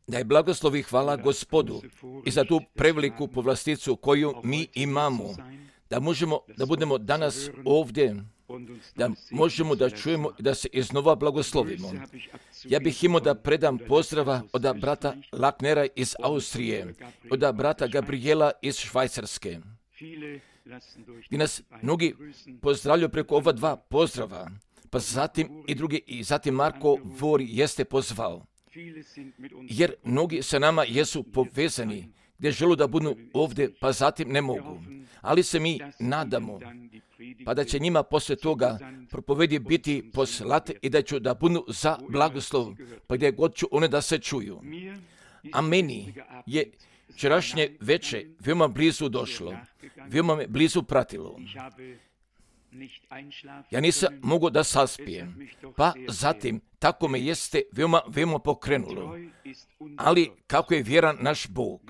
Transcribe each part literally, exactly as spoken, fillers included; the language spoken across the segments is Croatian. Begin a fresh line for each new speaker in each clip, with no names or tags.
Da je blagoslov i hvala Gospodu i za tu preveliku povlasticu koju mi imamo, da možemo da budemo danas ovdje, da možemo da čujemo i da se iznova blagoslovimo. Ja bih imao da predam pozdrava od brata Laknera iz Austrije, od brata Gabriela iz Švajcarske. I nas mnogi pozdravljaju preko ova dva pozdrava, pa zatim i drugi, i zatim Marko Vori jeste pozvao. Jer mnogi sa nama jesu povezani, gdje žele da budu ovdje, pa zatim ne mogu. Ali se mi nadamo, pa da će njima poslije toga propovedi biti poslate i da ću da budu za blagoslov, pa gdje god ću one da se čuju. A meni je včerašnje veče veoma blizu došlo, veoma me blizu pratilo. Ja nisam mogao da saspijem, pa zatim tako me jeste veoma, veoma pokrenulo. Ali kako je vjeran naš Bog,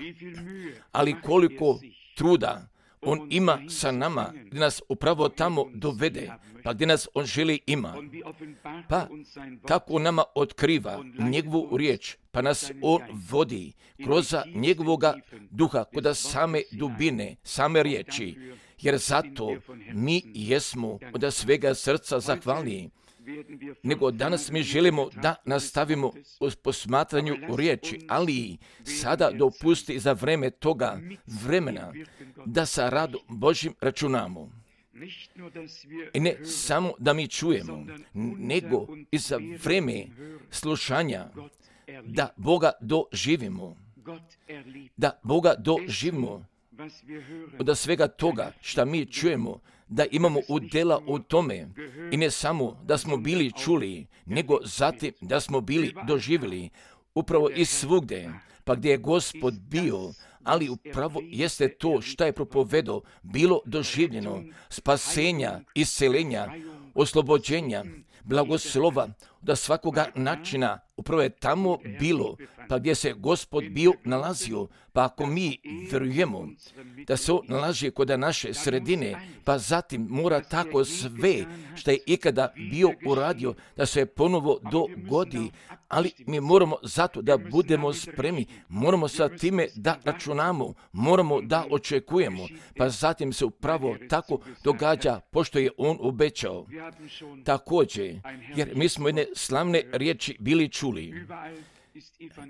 ali koliko truda On ima sa nama, gdje nas upravo tamo dovede, pa gdje nas On želi ima. Pa kako On nama otkriva njegovu riječ, pa nas On vodi kroz njegovoga duha, kod same dubine, same riječi. Jer zato mi jesmo od svega srca zahvalni. Nego danas mi želimo da nastavimo u posmatranju u riječi, ali sada dopusti za vreme toga vremena da sa radom Božim računamo. I ne samo da mi čujemo, nego i za vreme slušanja da Boga doživimo. Da Boga doživimo. Od svega toga što mi čujemo, da imamo udjela u tome i ne samo da smo bili čuli, nego zatim da smo bili doživjeli upravo i svugdje, pa gdje je Gospod bio, ali upravo jeste to što je propovedao, bilo doživljeno, spasenja, isceljenja, oslobođenja, blagoslova, da svakoga načina upravo je tamo bilo, pa gdje se Gospod bio nalazio, pa ako mi vjerujemo da se on nalazi kod naše sredine, pa zatim mora tako sve što je ikada bio uradio, da se ponovo dogodi, ali mi moramo zato da budemo spremni, moramo sa time da računamo, moramo da očekujemo, pa zatim se upravo tako događa, pošto je on obećao. Također, jer mi smo jedne slavne riječi bili čuli,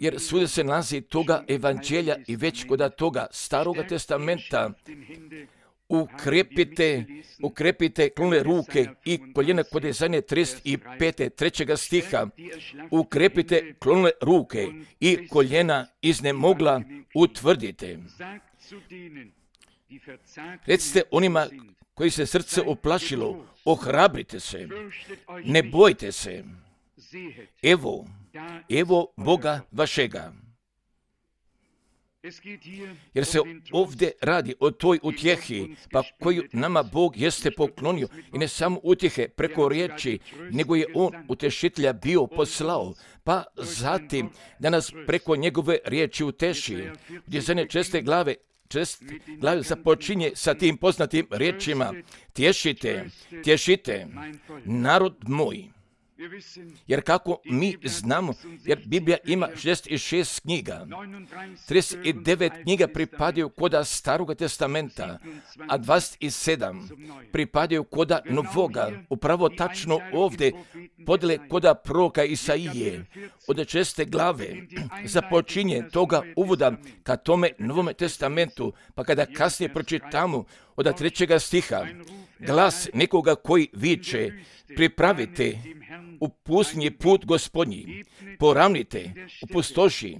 jer svugdje se nalazi toga evanđelja i već kod toga Staroga testamenta ukrepite, ukrepite klone ruke i koljena kod Izaije trideset pet. trećega stiha, ukrepite klone ruke i koljena iznemogla utvrdite. Recite onima koji se srce oplašilo, ohrabrite se, ne bojte se, evo, evo Boga vašega. Jer se ovdje radi o toj utjehi, pa koju nama Bog jeste poklonio, i ne samo utjehe preko riječi, nego je On utešitelja bio poslao, pa zatim da nas preko njegove riječi uteši, gdje za ne česte glave Čest glavi započinje sa tim poznatim riječima: tješite, tješite, narod moj. Jer kako mi znamo, jer Biblija ima šezdeset šest knjiga, trideset devet knjiga pripadaju koda Staroga testamenta, a dvadeset sedam pripadaju koda Novoga. Upravo tačno ovdje podjele koda proroka Isaije. Od česte glave započinje toga uvoda ka tome Novome testamentu, pa kada kasnije pročitamo od trećega stiha, glas nekoga koji viče: pripravite u pustinji put Gospodnji, poravnite u pustoši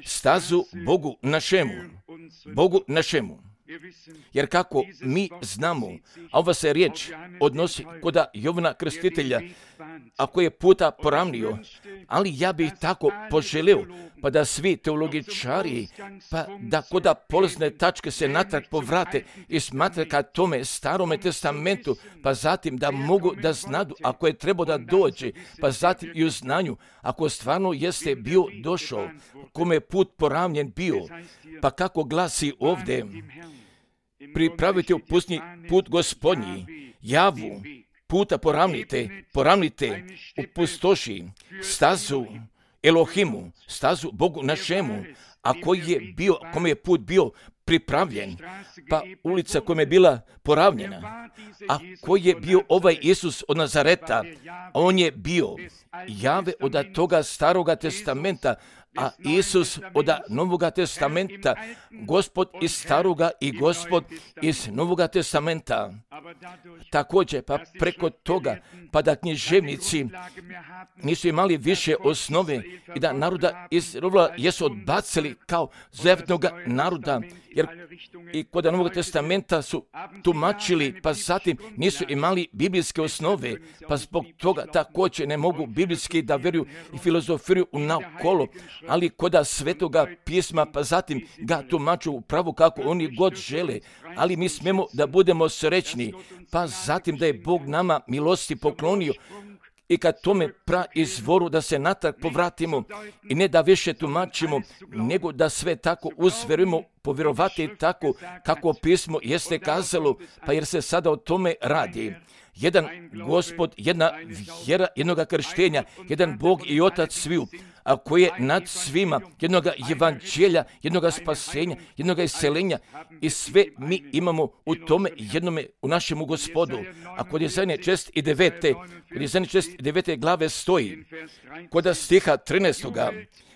stazu Bogu našemu, Bogu našemu. Jer kako mi znamo, a ova se riječ odnosi koda Jovana Krstitelja, ako je puta poravnio, ali ja bih tako poželio, pa da svi teologičari, pa da koda polazne tačke se natrag povrate i smatre ka tome Starome testamentu, pa zatim da mogu da znadu ako je trebao da dođe, pa zatim i u znanju, ako stvarno jeste bio došao, kome je put poravnjen bio, pa kako glasi ovdje: pripravite u pustinji put Gospodnji, javu puta poravnite, poravnite u pustoši stazu, Elohimu, stazu Bogu našemu, a koji je bio, kome je put bio pripravljen, pa ulica kojom je bila poravnjena, a koji je bio ovaj Isus od Nazareta, on je bio Jave od toga staroga testamenta, a Isus od Novoga testamenta, Gospod iz staroga i Gospod iz Novoga testamenta. Također, pa preko toga, pa da književnici nisu imali više osnove i da naroda iz Izraela jesu odbacili kao zavetnog naroda, jer i kod Novog testamenta su tumačili, pa zatim nisu imali biblijske osnove, pa zbog toga također ne mogu biblijski da vjeruju i filozofiraju naokolo, ali kod svetoga pisma, pa zatim ga tumaču upravo kako oni god žele, ali mi smemo da budemo srećni, pa zatim da je Bog nama milosti poklonio i kad tome praizvoru da se natrag povratimo i ne da više tumačimo, nego da sve tako uzverujemo, povjerovati tako kako pismo jeste kazalo, pa jer se sada o tome radi. Jedan Gospod, jedna vjera, jednoga krštenja, jedan Bog i Otac sviju, a koji je nad svima, jednoga evanđelja, jednoga spasenja, jednoga iseljenja i sve mi imamo u tome jednome, u našemu Gospodu. A kod Jesaje čest i devete, kod Jesaje čest i devete glave stoji, kod stiha trinaestoga,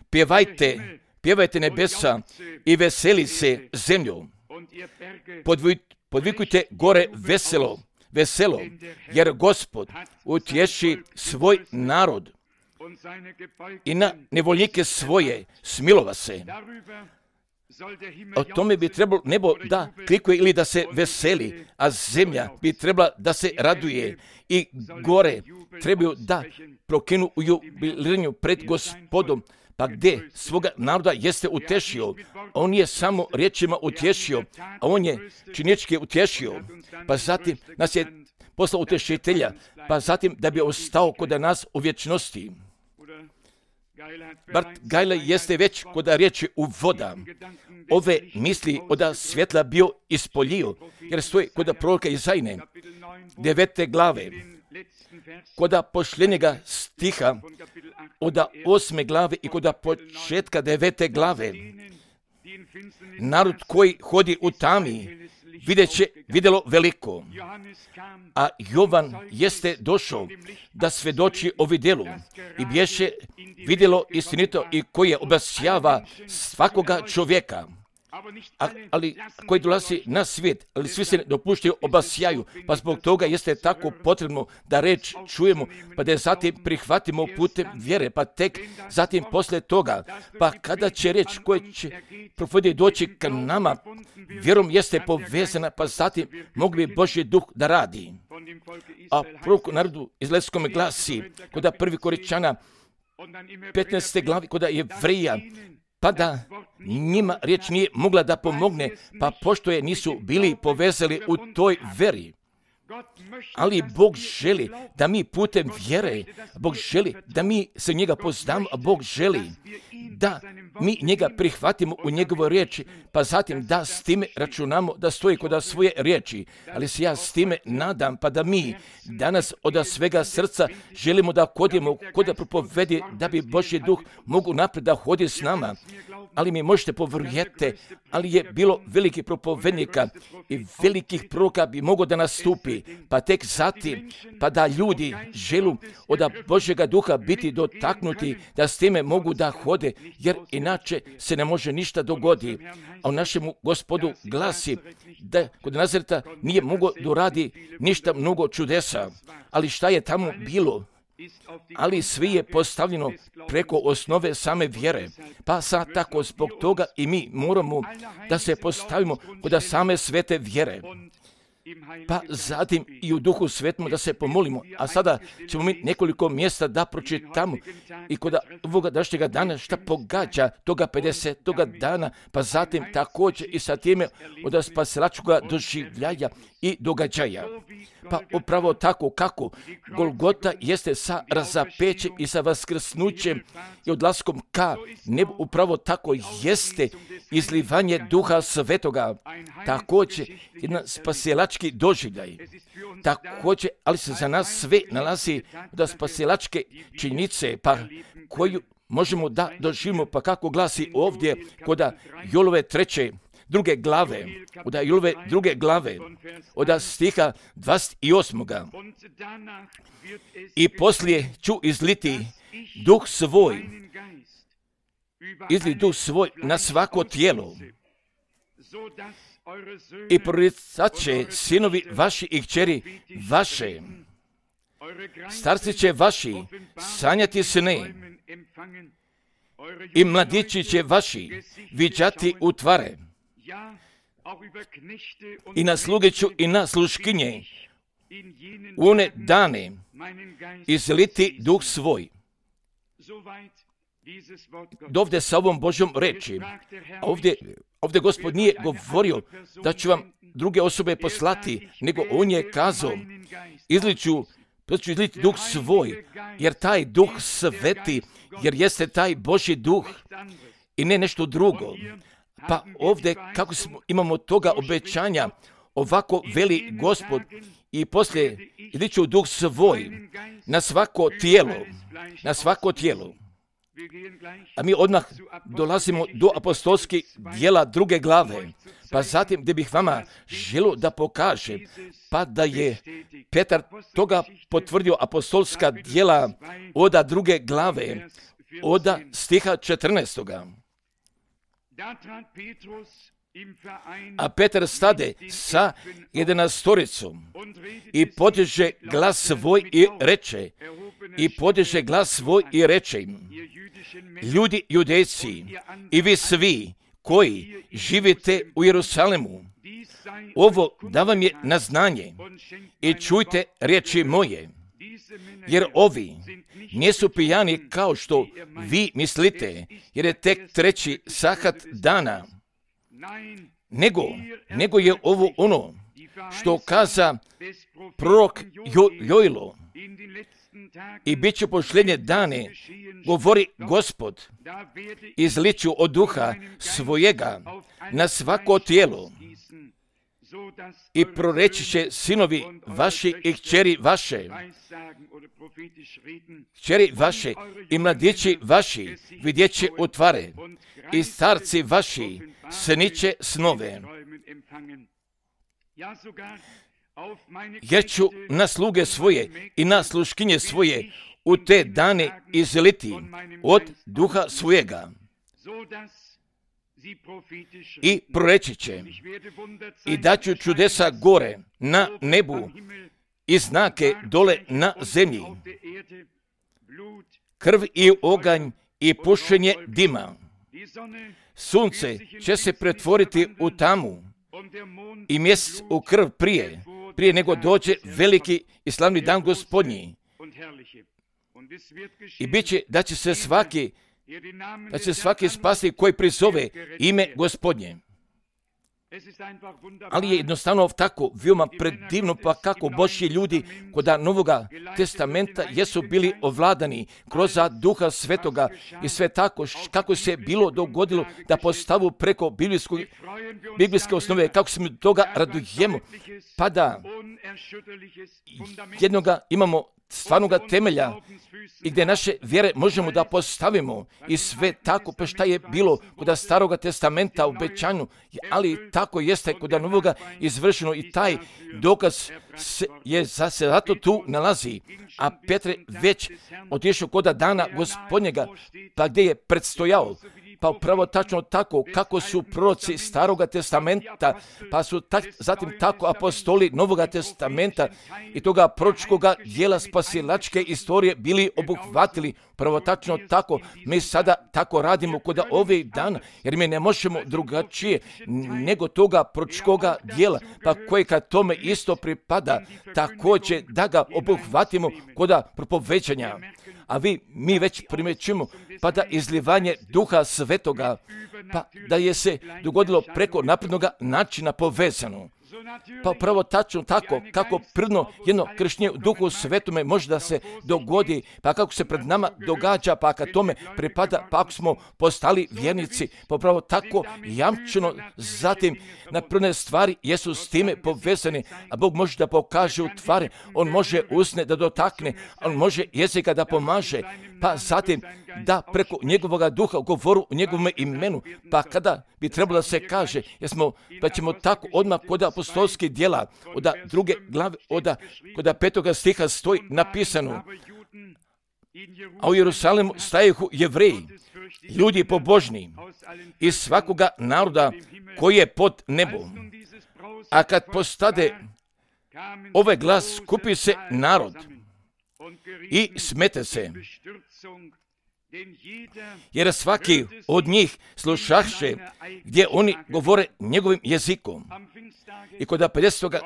pjevajte, pjevajte nebesa i veseli se zemljo, podvikujte gore veselo, veselo, jer Gospod utješi svoj narod i na nevoljnike svoje smilova se. O tome bi trebalo nebo da klikuje ili da se veseli, a zemlja bi trebala da se raduje i gore trebaju da prokinu u jubilanju pred Gospodom. Pa gdje svoga naroda jeste utješio, on je samo riječima utješio, a on je činjenički utješio, pa zatim nas je poslao utješitelja, pa zatim da bi ostao kod nas u vječnosti. Bart Gajle jeste već kod riječi u voda ove misli od svjetla bio ispoljio, jer stoji kod proroka Izajne, devete glave, kod posljednjega stiha od osme glave i kod početka devete glave. Narod koji hodi u tami vidjet će, vidjelo veliko, a Jovan jeste došao da svedoči o vidjelu i bješe vidjelo istinito i koje obasjava svakoga čovjeka. A, ali koji dolazi na svijet, ali svi se ne dopuštaju obasjaju, pa zbog toga jeste tako potrebno da reč čujemo, pa da je zatim prihvatimo putem vjere, pa tek zatim poslije toga, pa kada će reč koja će propovjediti doći k nama, vjerom jeste povezana, pa zatim mogli bi Božji duh da radi. A prorok narodu izraelskom glasi, kod prvi Koričana, petnaeste glavi, kod Jevrija, pa da njima riječ nije mogla da pomogne, pa pošto je nisu bili povezali u toj veri. Ali Bog želi da mi putem vjere, Bog želi da mi se njega poznamo, a Bog želi da mi njega prihvatimo u njegovoj riječi, pa zatim da s time računamo da stoji kod svoje riječi. Ali se ja s time nadam, pa da mi danas od svega srca želimo da hodimo kod da propovedi, da bi Božji duh mogu naprijed da hodi s nama. Ali mi možete povjerujete, ali je bilo velikih propovednika i velikih proroka bi moglo da nastupi, pa tek zatim, pa da ljudi želu od Božjega duha biti dotaknuti, da s time mogu da hode, jer inače se ne može ništa dogoditi. A u našemu Gospodu glasi da kod Nazareta nije mogao doradi ništa mnogo čudesa, ali šta je tamo bilo? Ali svi je postavljeno preko osnove same vjere. Pa sad tako zbog toga i mi moramo da se postavimo kod same svete vjere. Pa zatim i u duhu svetom da se pomolimo. A sada ćemo mi nekoliko mjesta da pročitamo i kod ovoga današnjega dana šta pogađa toga pedesetoga dana, pa zatim također i sa time od spasilačkoga doživljaja i događaja. Pa upravo tako kako Golgota jeste sa razapećem i sa vaskrsnućem i odlaskom ka nebu, upravo tako jeste izlivanje duha svetoga. Također jedan spasilački doživljaj. Također, ali se za nas sve nalazi da spasilačke činjenice, pa koju možemo da doživimo, pa kako glasi ovdje kod Jolove treće, druge glave, od Jolove druge glave, od stiha dvadeset osam. I poslije ću izliti duh svoj, izli duh svoj na svako tijelo, i proricat će sinovi vaši i kćeri vaše, starci će vaši sanjati sne, i mladići će vaši viđati utvare, i na sluge ću i na sluškinje u one dane izliti duh svoj. Dovde sa ovom Božjom reči, ovdje, ovdje Gospod nije govorio da ću vam druge osobe poslati, nego on je kazao, izliću, ću izliti duh svoj, jer taj duh sveti, jer jeste taj Božji duh i ne nešto drugo. Pa ovdje, kako smo, imamo toga obećanja, ovako veli Gospod, i poslije izliću duh svoj na svako tijelo, na svako tijelo. A mi odmah dolazimo do apostolskih djela druge glave, pa zatim gdje bih vama želio da pokažem, pa da je Petar toga potvrdio apostolska djela od druge glave, od stiha četrnaestoga. A Petar stade sa jedanastoricom i podiže glas svoj i reče, i podiže glas svoj i reče im, ljudi judejci i vi svi koji živite u Jerusalemu, ovo da vam je na znanje i čujte riječi moje, jer ovi nisu pijani kao što vi mislite, jer je tek treći sahat dana, nego, nego je ovo ono što kaza prorok jo, Jojlo, i bit će posljednje dane, govori Gospod, izliću od duha svojega na svako tijelo, i proreći će sinovi vaši i kćeri vaše, kćeri vaše i mladići vaši vidjet će utvare, i starci vaši sniće snove. Jer ću na sluge svoje i na sluškinje svoje u te dane izliti od duha svojega, i proreći će, i daću čudesa gore na nebu i znake dole na zemlji, krv i oganj i pušenje dima. Sunce će se pretvoriti u tamu i mjesec u krv prije, prije nego dođe veliki i slavni dan Gospodnji. I bit će da će se svaki, da će svaki spasti koji prizove ime Gospodnje. Ali je jednostavno tako veoma predivno, pa kako Božji ljudi kod Novoga testamenta jesu bili ovladani kroz Duha Svetoga i sve tako kako se bilo dogodilo da postavu preko biblijske osnove, kako se mi toga radujemo, pa da jednoga imamo stvarnoga temelja i gdje naše vjere možemo da postavimo i sve tako, pa šta je bilo kod Staroga testamenta u obećanju, ali tako jeste kod Novoga izvršeno i taj dokaz se, je za se zato tu nalazi. A Petre već otišao kod dana Gospodnjega, pa gdje je predstojao, pa upravo tačno tako kako su proroci Staroga testamenta, pa su tak, zatim tako apostoli Novoga testamenta i toga proročkoga dijela spasilačke istorije bili obuhvatili. Prvo tačno tako mi sada tako radimo kod ovih dana, jer mi ne možemo drugačije nego toga proročkoga dijela, pa koje kad tome isto pripada, također da ga obuhvatimo kod propoveđanja. A vi, mi već primjećujemo, pa da izlivanje Duha Svetoga, pa da je se dogodilo preko naprednoga načina povezano. Pa pravo tačno tako, kako prirodno jedno krštenje u Duhu Svetome može da se dogodi, pa kako se pred nama događa, pa kad tome pripada, pa ako smo postali vjernici, pa pravo tako jamčeno, zatim na prve stvari jesu s time povezani, a Bog može da pokaže u tvari, On može usne da dotakne, On može jezika da pomaže, pa zatim da preko njegovoga duha govoru u njegovom imenu, pa kada bi trebalo da se kaže, jesmo, pa ćemo tako odmah kod apostolskih djela, od druge glave, od kod petoga stiha stoji napisano, a u Jerusalimu stajehu Jevreji, ljudi pobožni iz svakoga naroda koji je pod nebom. A kad postade ovaj glas, skupi se narod i smete se, jer svaki od njih slušaše gdje oni govore njegovim jezikom. I kod pedesetoga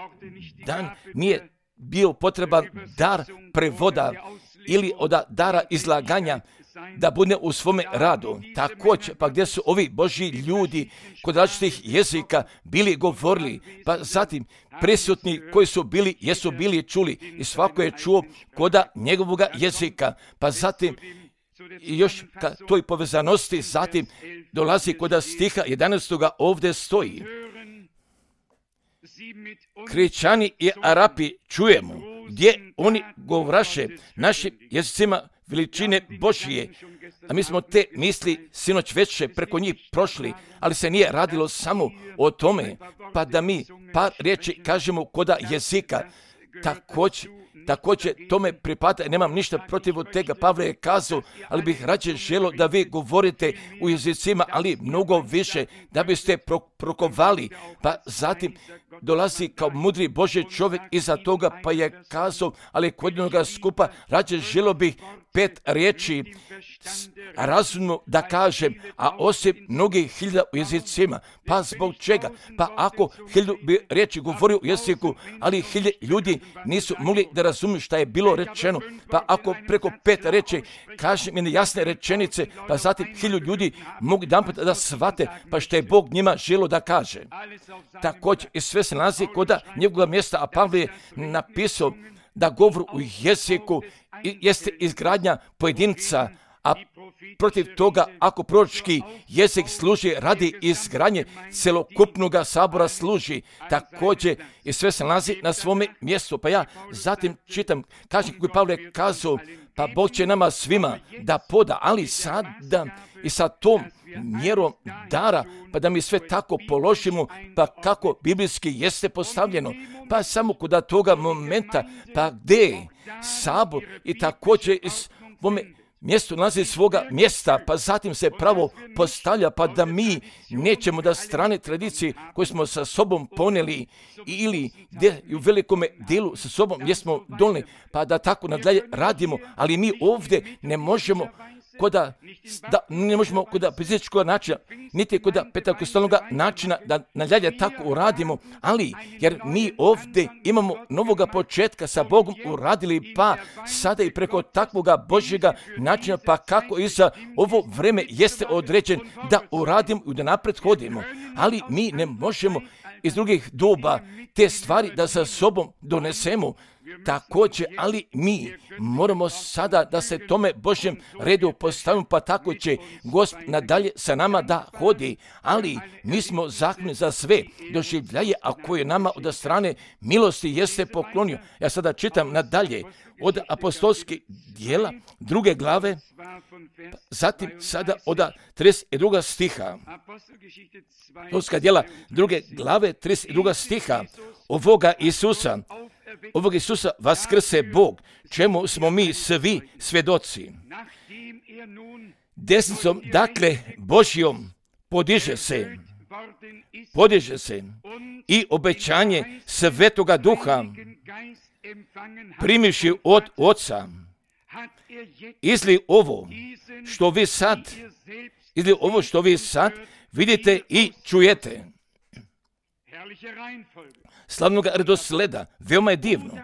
dan nije bio potreban dar prevoda ili od dara izlaganja da bude u svome radu. Također, pa gdje su ovi Božji ljudi kod različitih jezika bili govorili, pa zatim prisutni koji su bili, jesu bili čuli i svako je čuo koda njegovoga jezika, pa zatim i još ka toj povezanosti zatim dolazi kod stiha jedanaestoga ovdje stoji. Kričani i Arapi čujemo gdje oni govraše našim jezicima veličine Božije, a mi smo te misli sinoć već preko njih prošli, ali se nije radilo samo o tome, pa da mi par riječi kažemo koda jezika. Također, također tome pripada, nemam ništa protiv od tega, Pavle je kazao, ali bih rađe želio da vi govorite u jezicima, ali mnogo više, da biste pro, prokovali, pa zatim dolazi kao mudri Božji čovjek iza toga, pa je kazao, ali kod jednoga skupa rađe želio bih pet riječi razumno da kažem, a osim mnogih hiljada u jezicima. Pa zbog čega? Pa ako hiljadu bi riječi govorio u jeziku, ali hiljade ljudi nisu mogli da razumiju šta je bilo rečeno, pa ako preko pet riječi kažem jedne jasne rečenice, pa zatim hiljadu ljudi mogu jedanput da shvate, pa što je Bog njima želio da kaže. Također i sve se nalazi kod njegovog mjesta, a Pavle je napisao da govor u jeziku jeste izgradnja pojedinca, a protiv toga ako proročki jezik služi radi izgradnje celokupnog sabora služi. Također i sve se nalazi na svome mjestu. Pa ja zatim čitam, kažem kako je Pavle kazao, pa Bog će nama svima da poda, ali sada i sa tom mjerom dara, pa da mi sve tako položimo, pa kako biblijski jeste postavljeno, pa samo kod toga momenta, pa gdje sabor i također iz ovome mjestu nalazi svoga mjesta, pa zatim se pravo postavlja, pa da mi nećemo da strane tradicije koje smo sa sobom poneli ili gdje u velikome dijelu sa sobom gdje smo doneli, pa da tako nadalje radimo, ali mi ovdje ne možemo koda, da, ne možemo kod fizičkog načina, niti kod pentakostalnog načina da nadalje tako uradimo, ali jer mi ovdje imamo novoga početka sa Bogom uradili, pa sada i preko takvoga Božjega načina, pa kako i za ovo vreme jeste određen da uradimo i da napred hodimo, ali mi ne možemo iz drugih doba te stvari da sa sobom donesemo. Također, ali mi moramo sada da se tome Božjem redu postavimo, pa tako će Gospod nadalje sa nama da hodi, ali mi smo zahvalni za sve doživljaje, a koje nama od strane milosti jeste poklonio. Ja sada čitam nadalje od apostolskih djela druge glave, zatim sada od trideset drugog stiha. Apostolska djela druge glave, trideset drugog stiha, ovoga Isusa, ovog Isusa vaskrse Bog, čemu smo mi svi svjedoci. Desnicom, dakle, Božjom podiže se, podiže se i obećanje Svetoga Duha primivši od Oca, izli ovo što vi sad, izli ovo što vi sad vidite i čujete. Slavnog redosleda, veoma je divno.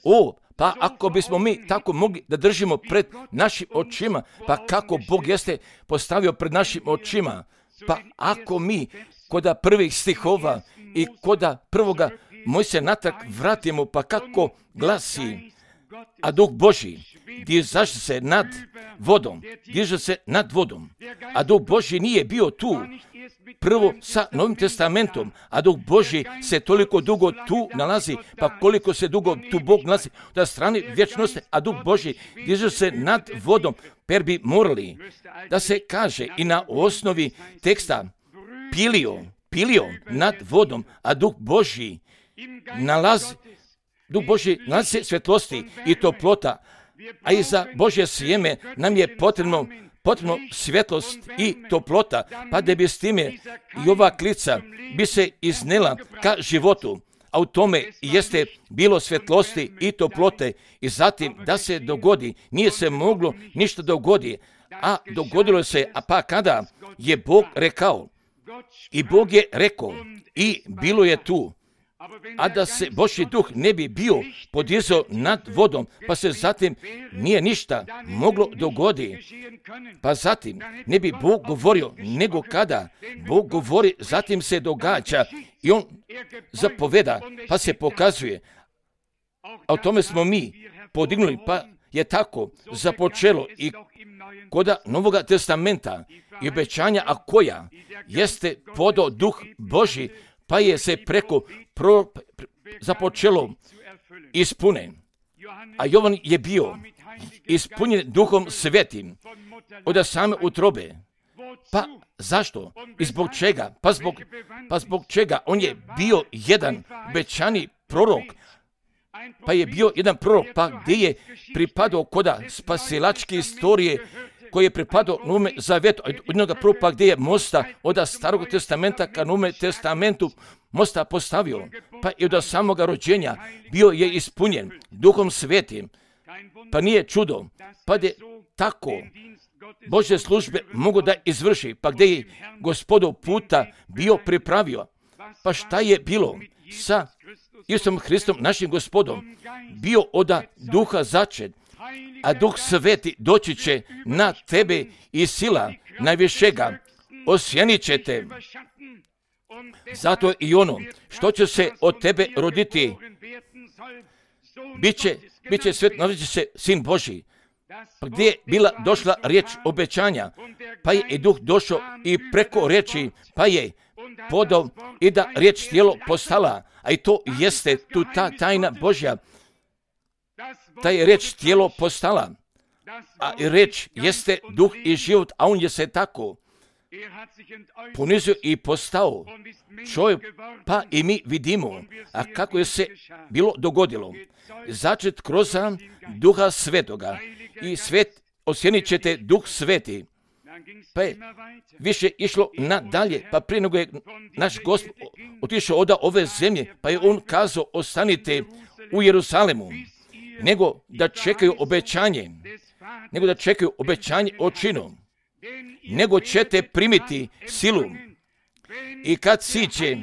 O, pa ako bismo mi tako mogli da držimo pred našim očima, pa kako Bog jeste postavio pred našim očima, pa ako mi koda prvih stihova i koda prvoga moj se natrag vratimo, pa kako glasi, a Duh Božji diže se nad vodom, diže se nad vodom, a Duh Božji nije bio tu prvo sa Novim testamentom, a Duh Božji se toliko dugo tu nalazi, pa koliko se dugo tu Bog nalazi da strani vječnosti, a Duh Božji diže se nad vodom, per bi morali da se kaže i na osnovi teksta pilio, pilio nad vodom, a Duh Božji nalazi, Duh Božji nalazi svjetlosti i toplota, a i za Božje sjeme nam je potrebno potrebno svjetlost i toplota, pa da bi s time i ova klica bi se iznela ka životu, a u tome jeste bilo svjetlosti i toplote, i zatim da se dogodi, nije se moglo ništa dogodi, a dogodilo se, a pa kada je Bog rekao, i Bog je rekao, i bilo je tu. A da se Božji duh ne bi bio podizao nad vodom, pa se zatim nije ništa moglo dogoditi. Pa zatim ne bi Bog govorio, nego kada Bog govori, zatim se događa i on zapoveda, pa se pokazuje. A o tome smo mi podignuli, pa je tako započelo i koda Novoga testamenta i obećanja, a koja jeste podao Duh Božji, pa je se preko pro, započelo ispune. A Jovan je bio ispunjen Duhom Svetim od same utrobe. Pa zašto? I zbog čega? Pa zbog, pa zbog čega? On je bio jedan obećani prorok, pa je bio jedan prorok, pa gdje je pripadao koda spasilačke istorije, koji je pripadao Novome Zavetu, od jednoga proroka gdje je mosta od Starog testamenta ka Novome testamentu mosta postavio, pa i od samoga rođenja bio je ispunjen Duhom Svetim, pa nije čudo, pa je tako Božje službe mogu da izvrši, pa gdje je Gospodov puta bio pripravio. Pa šta je bilo sa Isusom Hristom, našim Gospodom? Bio od Duha začet, a Duh Sveti doći će na tebe i sila najvišega osjenit će te. Zato i ono što će se od tebe roditi, biće, biće svet, nazvat se Sin Božji. Pa gdje je bila došla riječ obećanja, pa je i Duh došao i preko riječi, pa je podao i da riječ tijelo postala, a i to jeste tu ta tajna Božja. Ta je riječ tijelo postala, a i riječ jeste duh i život, a on je se tako ponizio i postao čovjek, pa i mi vidimo, a kako je se bilo dogodilo. Začet kroz Duha Svetoga i svet osjenit ćete Duh Sveti. Pa je više išlo nadalje, pa prije nego je naš Gospod otišao od ove zemlje, pa je on kazao ostanite u Jeruzalemu, nego da čekaju obećanje, nego da čekaju obećanje o činu, nego ćete primiti silu i kad siće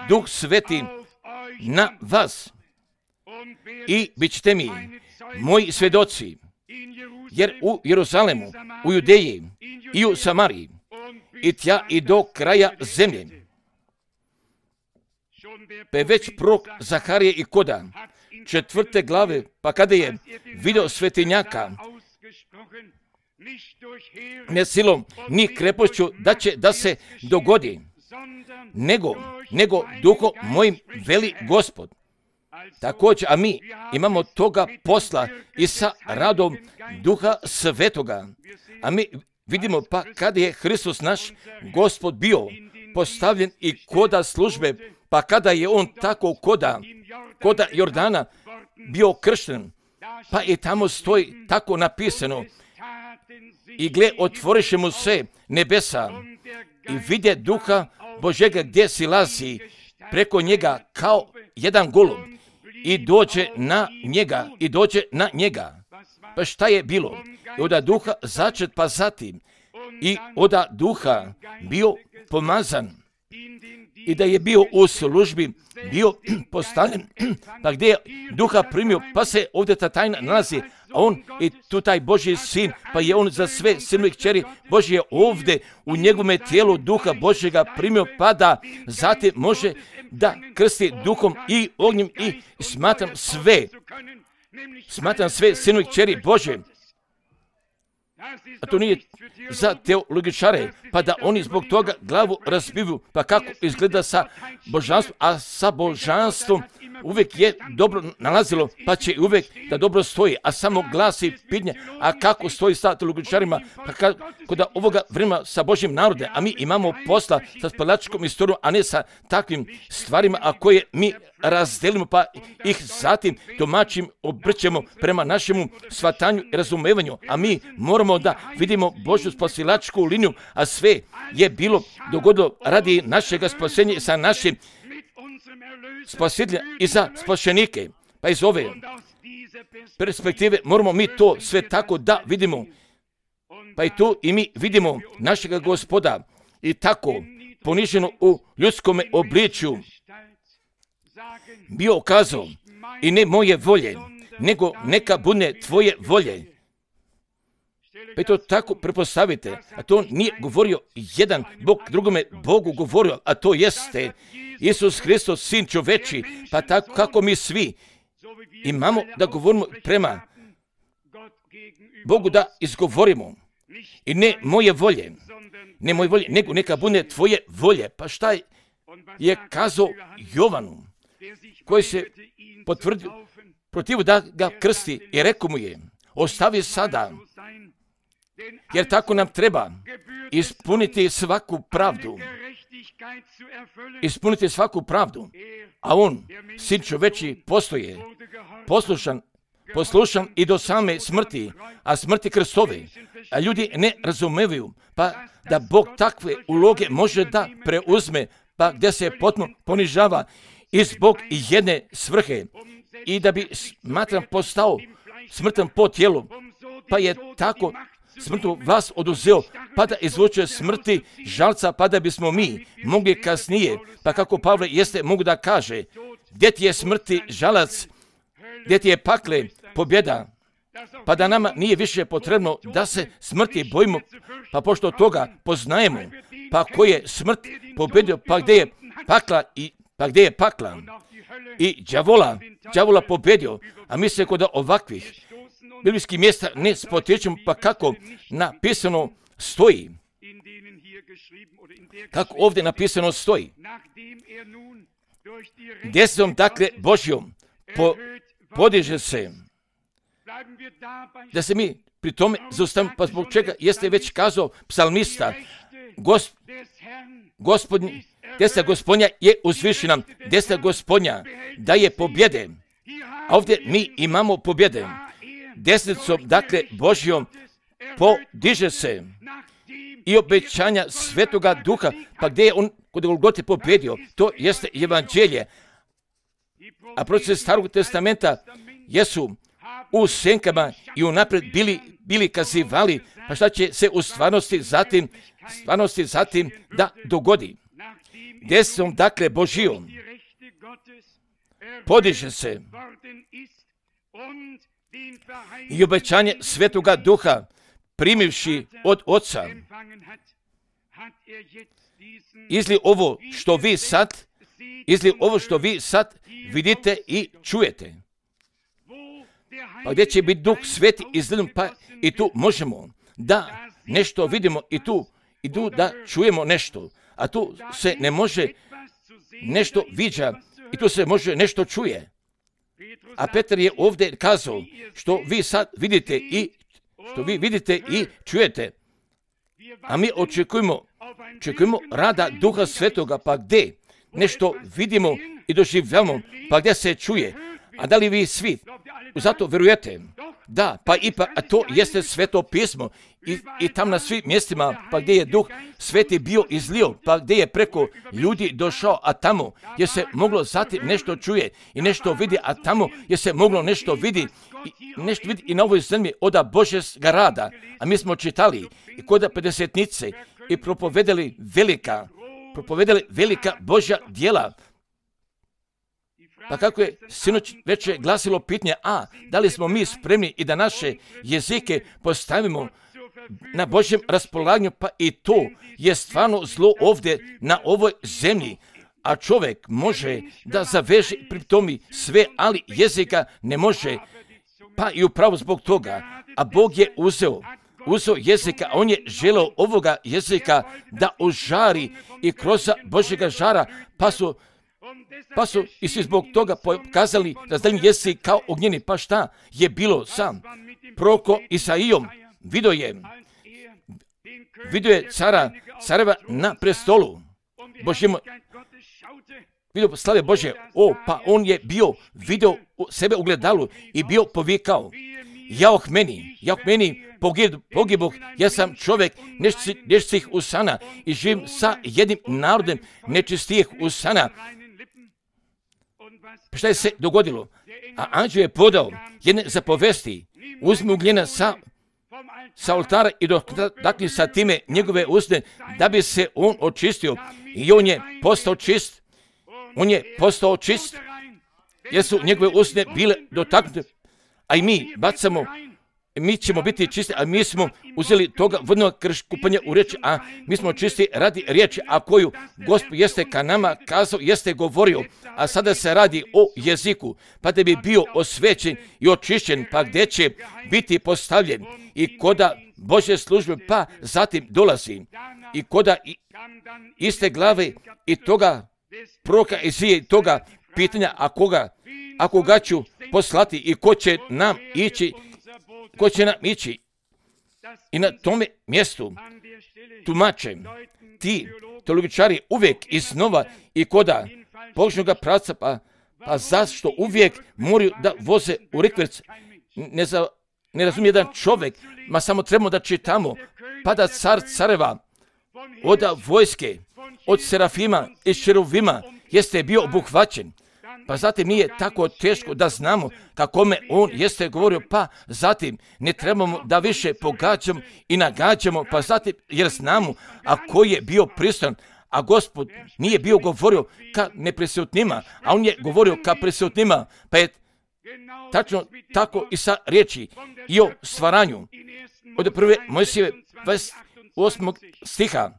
Duh Sveti na vas i bit ćete mi moji svjedoci, jer u Jeruzalemu, u Judeji i u Samariji i tja i do kraja zemlje. Pa je već prorok Zaharije i koda četvrte glave, pa kada je vidio svetinjaka, ne silom ni krepošću da će da se dogodi, nego, nego duhom mojim veli Gospod. Također, a mi imamo toga posla i sa radom Duha Svetoga. A mi vidimo pa kada je Hristos naš Gospod bio postavljen i koda službe, pa kada je on tako koda, koda Jordana bio kršten, pa i tamo stoji tako napisano, i gle, otvoriše mu se nebesa i vidje Duha Božega gdje silazi preko njega kao jedan golub i dođe na njega i dođe na njega. Pa šta je bilo? I oda Duha začet, pa zatim i oda Duha bio pomazan i da je bio u službi, bio postavljen, pa gdje je Duha primio, pa se ovdje ta tajna nalazi, a on i tu taj Božji sin, pa je on za sve sinove i kćeri Božje ovdje u njegovome tijelu duha Božjega primio, pa da zatim može da krsti duhom i ognjem i smatram sve, smatram sve sinove i kćeri Božje. A to nije za teologičare, pa da oni zbog toga glavu razbiju, pa kako izgleda sa božanstvom, a sa božanstvom uvijek je dobro nalazilo, pa će uvijek da dobro stoji, a samo glasi pitanje, a kako stoji sa teologičarima, pa kako da ovoga vremena sa Božjim narodom, a mi imamo posla sa spalačkom istorijom, a ne sa takvim stvarima, a koje mi razdelimo, pa ih zatim domaćim obrćemo prema našemu shvatanju i razumevanju, a mi moramo da vidimo Božju spasilačku liniju, a sve je bilo dogodilo radi našega spasenja i sa našim spasitelja i za spašenike. Pa iz ove perspektive moramo mi to sve tako da vidimo. Pa i tu i mi vidimo našega Gospoda i tako poniženo u ljudskome obličju bio okazao i ne moje volje, nego neka bude tvoje volje. Pa to tako prepostavite, a to nije govorio jedan Bog drugome Bogu govorio, a to jeste Isus Hristos, sin čoveči, pa tako kako mi svi imamo da govorimo prema Bogu da izgovorimo. I ne moje volje, ne moje volje, nego neka bude tvoje volje. Pa šta je kazao Jovanu, koji se potvrdio protiv da ga krsti i rekao mu je, ostavi sada, jer tako nam treba ispuniti svaku pravdu. Ispuniti svaku pravdu. A on, sin čoveči, postoje, poslušan, poslušan i do same smrti, a smrti Kristove. A ljudi ne razumevaju, pa da Bog takve uloge može da preuzme, pa gdje se potpuno ponižava i zbog jedne svrhe i da bi smatram postao smrtan po tijelu, pa je tako smrtu vas oduzeo, pa da izvuče smrti žalca, pa da bismo mi mogli kasnije, pa kako Pavle jeste mogu da kaže, gdje ti je smrti žalac, gdje ti je pakle pobjeda, pa da nama nije više potrebno da se smrti bojimo, pa pošto toga poznajemo, pa ko je smrt pobjedio, pa gdje je pakla i pa gdje je pakla i đavola, đavola pobjedio, a mi se kod ovakvih biblijskih mjesta ne spotičemo, pa kako napisano stoji, kako ovdje napisano stoji, desnom dakle Božjom po, podiže se, da se mi pri tome zaustavimo, pa zbog čega jeste već kazao psalmista, Gosp, gospodin, desna Gospodnja je uzvišena, desna Gospodnja daje pobjede, a ovdje mi imamo pobjede. Desnicom, dakle, Božjom podiže se i obećanja Svetoga Duha, pa gdje je on kod Golgote pobjedio, to jeste evanđelje. A proroci Starog testamenta jesu u senkama i unaprijed bili, bili kazivali, pa šta će se u stvarnosti zatim, stvarnosti zatim da dogodi. Desnicom, dakle, Božjom podiže se i obećanje Svetoga Duha primivši od Oca. Izli ovo što vi sad, izli ovo što vi sad vidite i čujete. Pa gdje će biti Duh Sveti izgledom, pa i tu možemo da nešto vidimo i tu, i tu da čujemo nešto. A tu se ne može nešto viđa i tu se može nešto čuje. A Petar je ovdje kazao što vi sad vidite i što vi vidite i čujete. A mi očekujemo, očekujemo rada Duha Svetoga, pa gdje nešto vidimo i doživljamo, pa gdje se čuje. A da li vi svi zato vjerujete? Da, pa ipak, a to jeste Sveto pismo i, i tam na svim mjestima, pa gdje je Duh Sveti bio izlio, pa gdje je preko ljudi došao, a tamo je se moglo zatim nešto čuje i nešto vidi, a tamo je se moglo nešto vidi i nešto vidi i na ovoj zemlji oda Božjega rada. A mi smo čitali i kod pedesetnice i propovedali velika, propovedali velika Božja djela. Pa kako je sinoć večer glasilo pitanje, a da li smo mi spremni i da naše jezike postavimo na Božjem raspolaganju, pa i to je stvarno zlo ovdje na ovoj zemlji. A čovjek može da zaveže pri tome sve, ali jezika ne može, pa i upravo zbog toga. A Bog je uzeo, uzeo jezika, on je želeo ovoga jezika da ožari i kroz Božjega žara, pa su, pa su i svi zbog toga pokazali razdaljni jezik kao ognjeni. Pa šta je bilo sam proroko Isaijom? Vidio je, vidio je cara, careva na prestolu Božjemu, vidio slave Bože, o, pa on je bio, vidio sebe u gledalu i bio povikao, jauh meni, jauh meni, pogiboh, ja sam čovjek nečistih usana i živim sa jednim narodem nečistih usana. Pa šta je se dogodilo? A anđeo je podao jedne zapovesti, uzmi ugljena sa, sa oltara i dotakni sa time njegove usne, da bi se on očistio. I on je postao čist, on je postao čist, jer su njegove usne bile dotaknute, a i mi bacamo, mi ćemo biti čisti, a mi smo uzeli toga vodnog kupanja u riječi, a mi smo čisti radi riječi, a koju Gospod jeste ka nama kazao, jeste govorio, a sada se radi o jeziku, pa da bi bio osvećen i očišćen, pa gdje će biti postavljen i koda Božje službe, pa zatim dolazi i koda iste glave i toga proroka Izije i toga pitanja, a koga, a koga ću poslati i ko će nam ići, ko će nam ići. I na tome mjestu tumače ti teologičari uvijek iznova i koda Božnoga pravca, pa, pa zašto uvijek moraju da voze u rikverc. Ne, za, ne razumije jedan čovjek, ma samo trebamo da čitamo, pa da car careva od vojske, od serafima i šeruvima jeste bio obuhvaćen. Pa zatim nije tako teško da znamo kakome on jeste govorio, pa zatim ne trebamo da više pogađamo i nagađamo, pa zatim jer znamo, a koji je bio prisutan, a Gospod nije bio govorio ka neprisutnima, a on je govorio ka prisutnima, pa je tačno tako i sa riječi i o stvaranju. Od prve Mojsijeve dvadeset osmog stiha,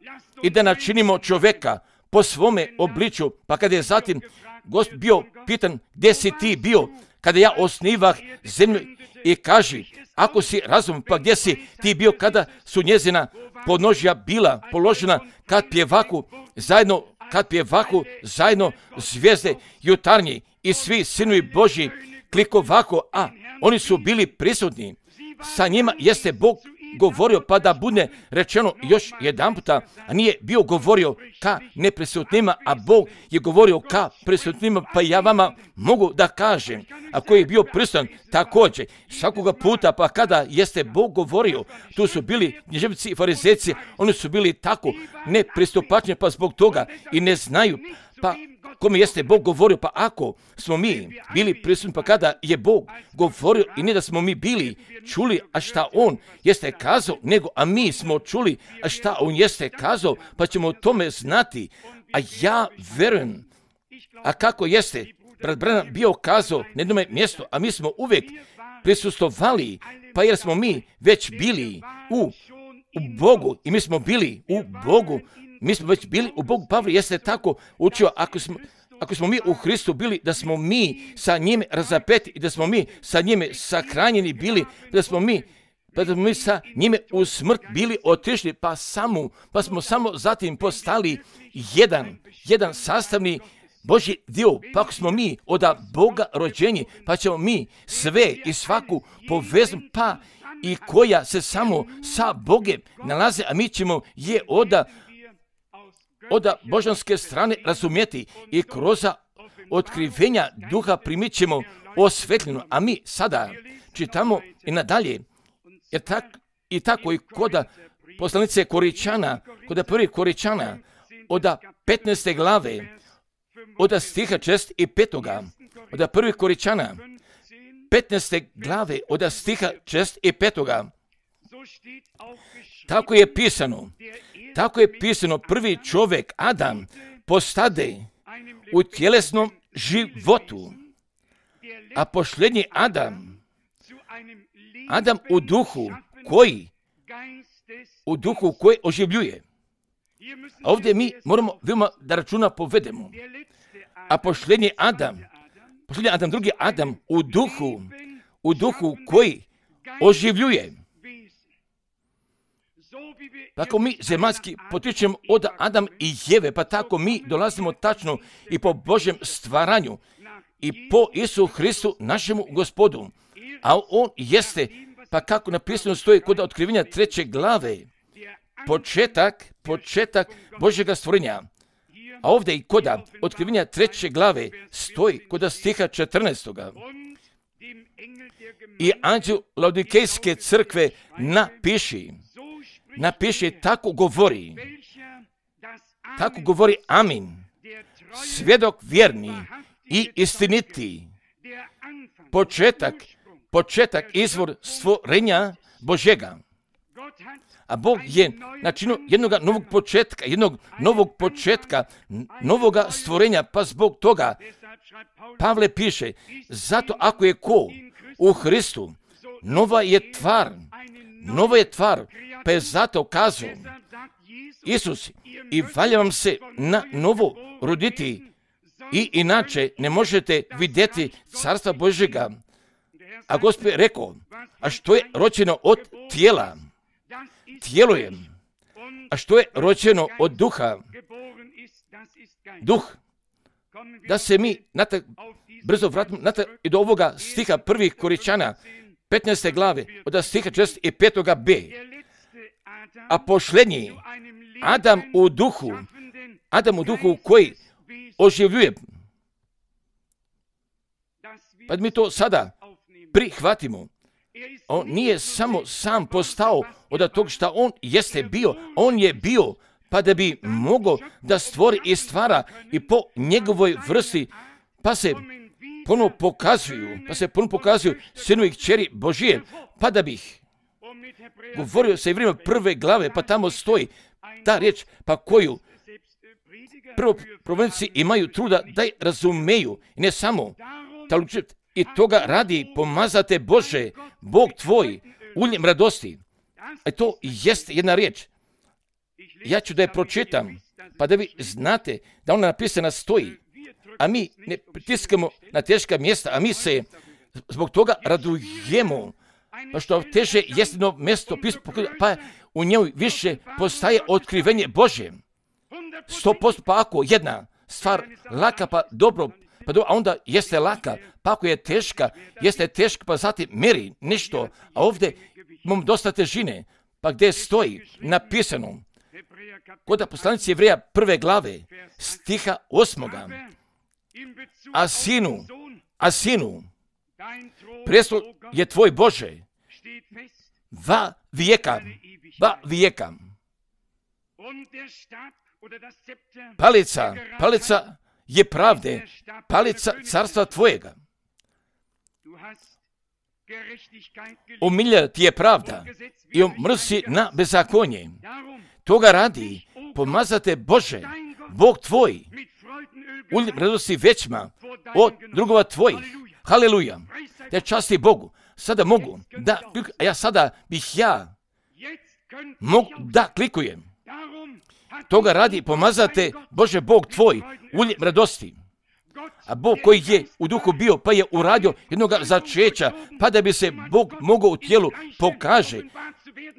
i da načinimo čovjeka po svome obličju, pa kada je zatim Gospod bio pitan, gdje si ti bio kada ja osnivah zemlju, i kaži, ako si razum, pa gdje si ti bio kada su njezina podnožja bila položena, kad pjevaku zajedno, kad pjevaku zajedno zvijezde jutarnji i svi sinovi Božji klikovako, a oni su bili prisutni. Sa njima jeste Bog govorio, pa da bude rečeno još jedan puta, a nije bio govorio ka neprisutnima, a Bog je govorio ka prisutnima, pa ja vama mogu da kažem, a koji je bio prisutan također svakoga puta, pa kada jeste Bog govorio, tu su bili književnici i farizejci, oni su bili tako nepristupačni, pa zbog toga i ne znaju, pa kome jeste Bog govorio, pa ako smo mi bili prisutni, pa kada je Bog govorio i ne da smo mi bili čuli, a šta on jeste kazao, nego a mi smo čuli, a šta on jeste kazao, pa ćemo o tome znati. A ja verujem, a kako jeste brat Branham bio kazao na jednom mjestu, a mi smo uvijek prisustvovali, pa jer smo mi već bili u, u Bogu i mi smo bili u Bogu, mi smo već bili u Bogu. Pavle jeste tako učio, ako smo, ako smo mi u Hristu bili, da smo mi sa njime razapeti i da smo mi sa njime sahranjeni bili, da smo mi, pa da smo mi sa njime u smrt bili otišli, pa samo, pa smo samo zatim postali jedan, jedan sastavni Božji dio, pa ako smo mi od Boga rođeni, pa ćemo mi sve i svaku povezu, pa i koja se samo sa Bogem nalaze, a mi ćemo je od od božanske strane razumjeti i kroz otkrivenja duha primit ćemo osvetljeno, a mi sada čitamo i nadalje, jer tak, i tako i kod poslanice Koričana, kod prvih Koričana, od petnaeste glave, od stiha šest i petoga, od prvih Koričana, petnaeste glave, od stiha šest i petoga, tako je pisano, tako je pisano, prvi čovjek, Adam, postade u tjelesnom životu, a posljednji Adam, Adam u duhu koji, u duhu koji oživljuje. A ovdje mi moramo veoma da računa povedemo. A posljednji Adam, posljednji Adam, drugi Adam u duhu, u duhu koji oživljuje. Tako mi zemaljski potičemo od Adam i Jeve, pa tako mi dolazimo tačno i po Božjem stvaranju i po Isu Hristu, našemu Gospodu. A on jeste, pa kako napisano stoji kod otkrivenja treće glave, početak, početak Božjega stvorenja. A ovdje i kod otkrivenja treće glave stoji kod stiha četrnaestoga. I anđel Laodikejske crkve napiši, napiši, tako govori, tako govori Amin, svjedok vjerni i istiniti, početak, početak, izvor stvorenja Božjega. A Bog je načinio jednog novog početka, jednog novog početka, novoga stvorenja, pa zbog toga Pavle piše, zato ako je ko u Hristu, nova je tvar, nova je tvar, pa je zato kazao Isus, i valja vam se na novo roditi, i inače ne možete vidjeti carstva Božjega. A Gospod je rekao, a što je rođeno od tijela, tijelo je, a što je rođeno od duha, duh. Da se mi natak, brzo vratimo natak i do ovoga stiha prvih Koričana, petnaeste glave, od stiha četrdeset pet b. A posljednji, Adam u duhu, Adam u duhu koji oživljuje. Pa mi to sada prihvatimo. On nije samo sam postao od tog što on jeste bio, on je bio pa da bi mogao da stvori i stvara i po njegovoj vrsti, pa se ponovo pokazuju, pa se ponovo pokazuju sinu i kćeri Božije, pa da bih govorio se i vrijeme prve glave, pa tamo stoji ta riječ, pa koju prvo provodnici imaju truda da je razumeju, ne samo ta lučit, i toga radi pomazate Bože, Bog tvoj, uljem radosti. A to jeste jedna riječ. Ja ću da je pročitam, pa da vi znate da ona napisana stoji. A mi ne pritiskamo na teška mjesta, a mi se zbog toga radujemo. Pa što teže jeste jedno mjesto, pa u njoj više postaje otkrivenje Božje. Sto posto pa ako jedna stvar laka, pa dobro, pa do, a onda jeste laka, pa ako je teška, jeste teška, pa zatim meri nešto, a ovdje imam dosta težine, pa gdje stoji napisano, kod poslanici Jevreja prve glave, stiha osmoga, a sinu, a sinu, prestol je tvoj Bože, va vijeka, va vijeka. Palica, palica je pravde, palica carstva tvojega. Omilja ti je pravda i omrsi na bezakonje. Toga radi, pomazate Bože, Bog tvoj, uljem radosti većma od drugova tvojih. Haleluja. Da časti Bogu. Sada mogu da, a ja sada bih ja mogu da klikujem. Toga radi, pomazate Bože, Bog tvoj, uljem radosti. A Bog koji je u duhu bio, pa je uradio jednog začeća, pa da bi se Bog mogao u tijelu pokaže,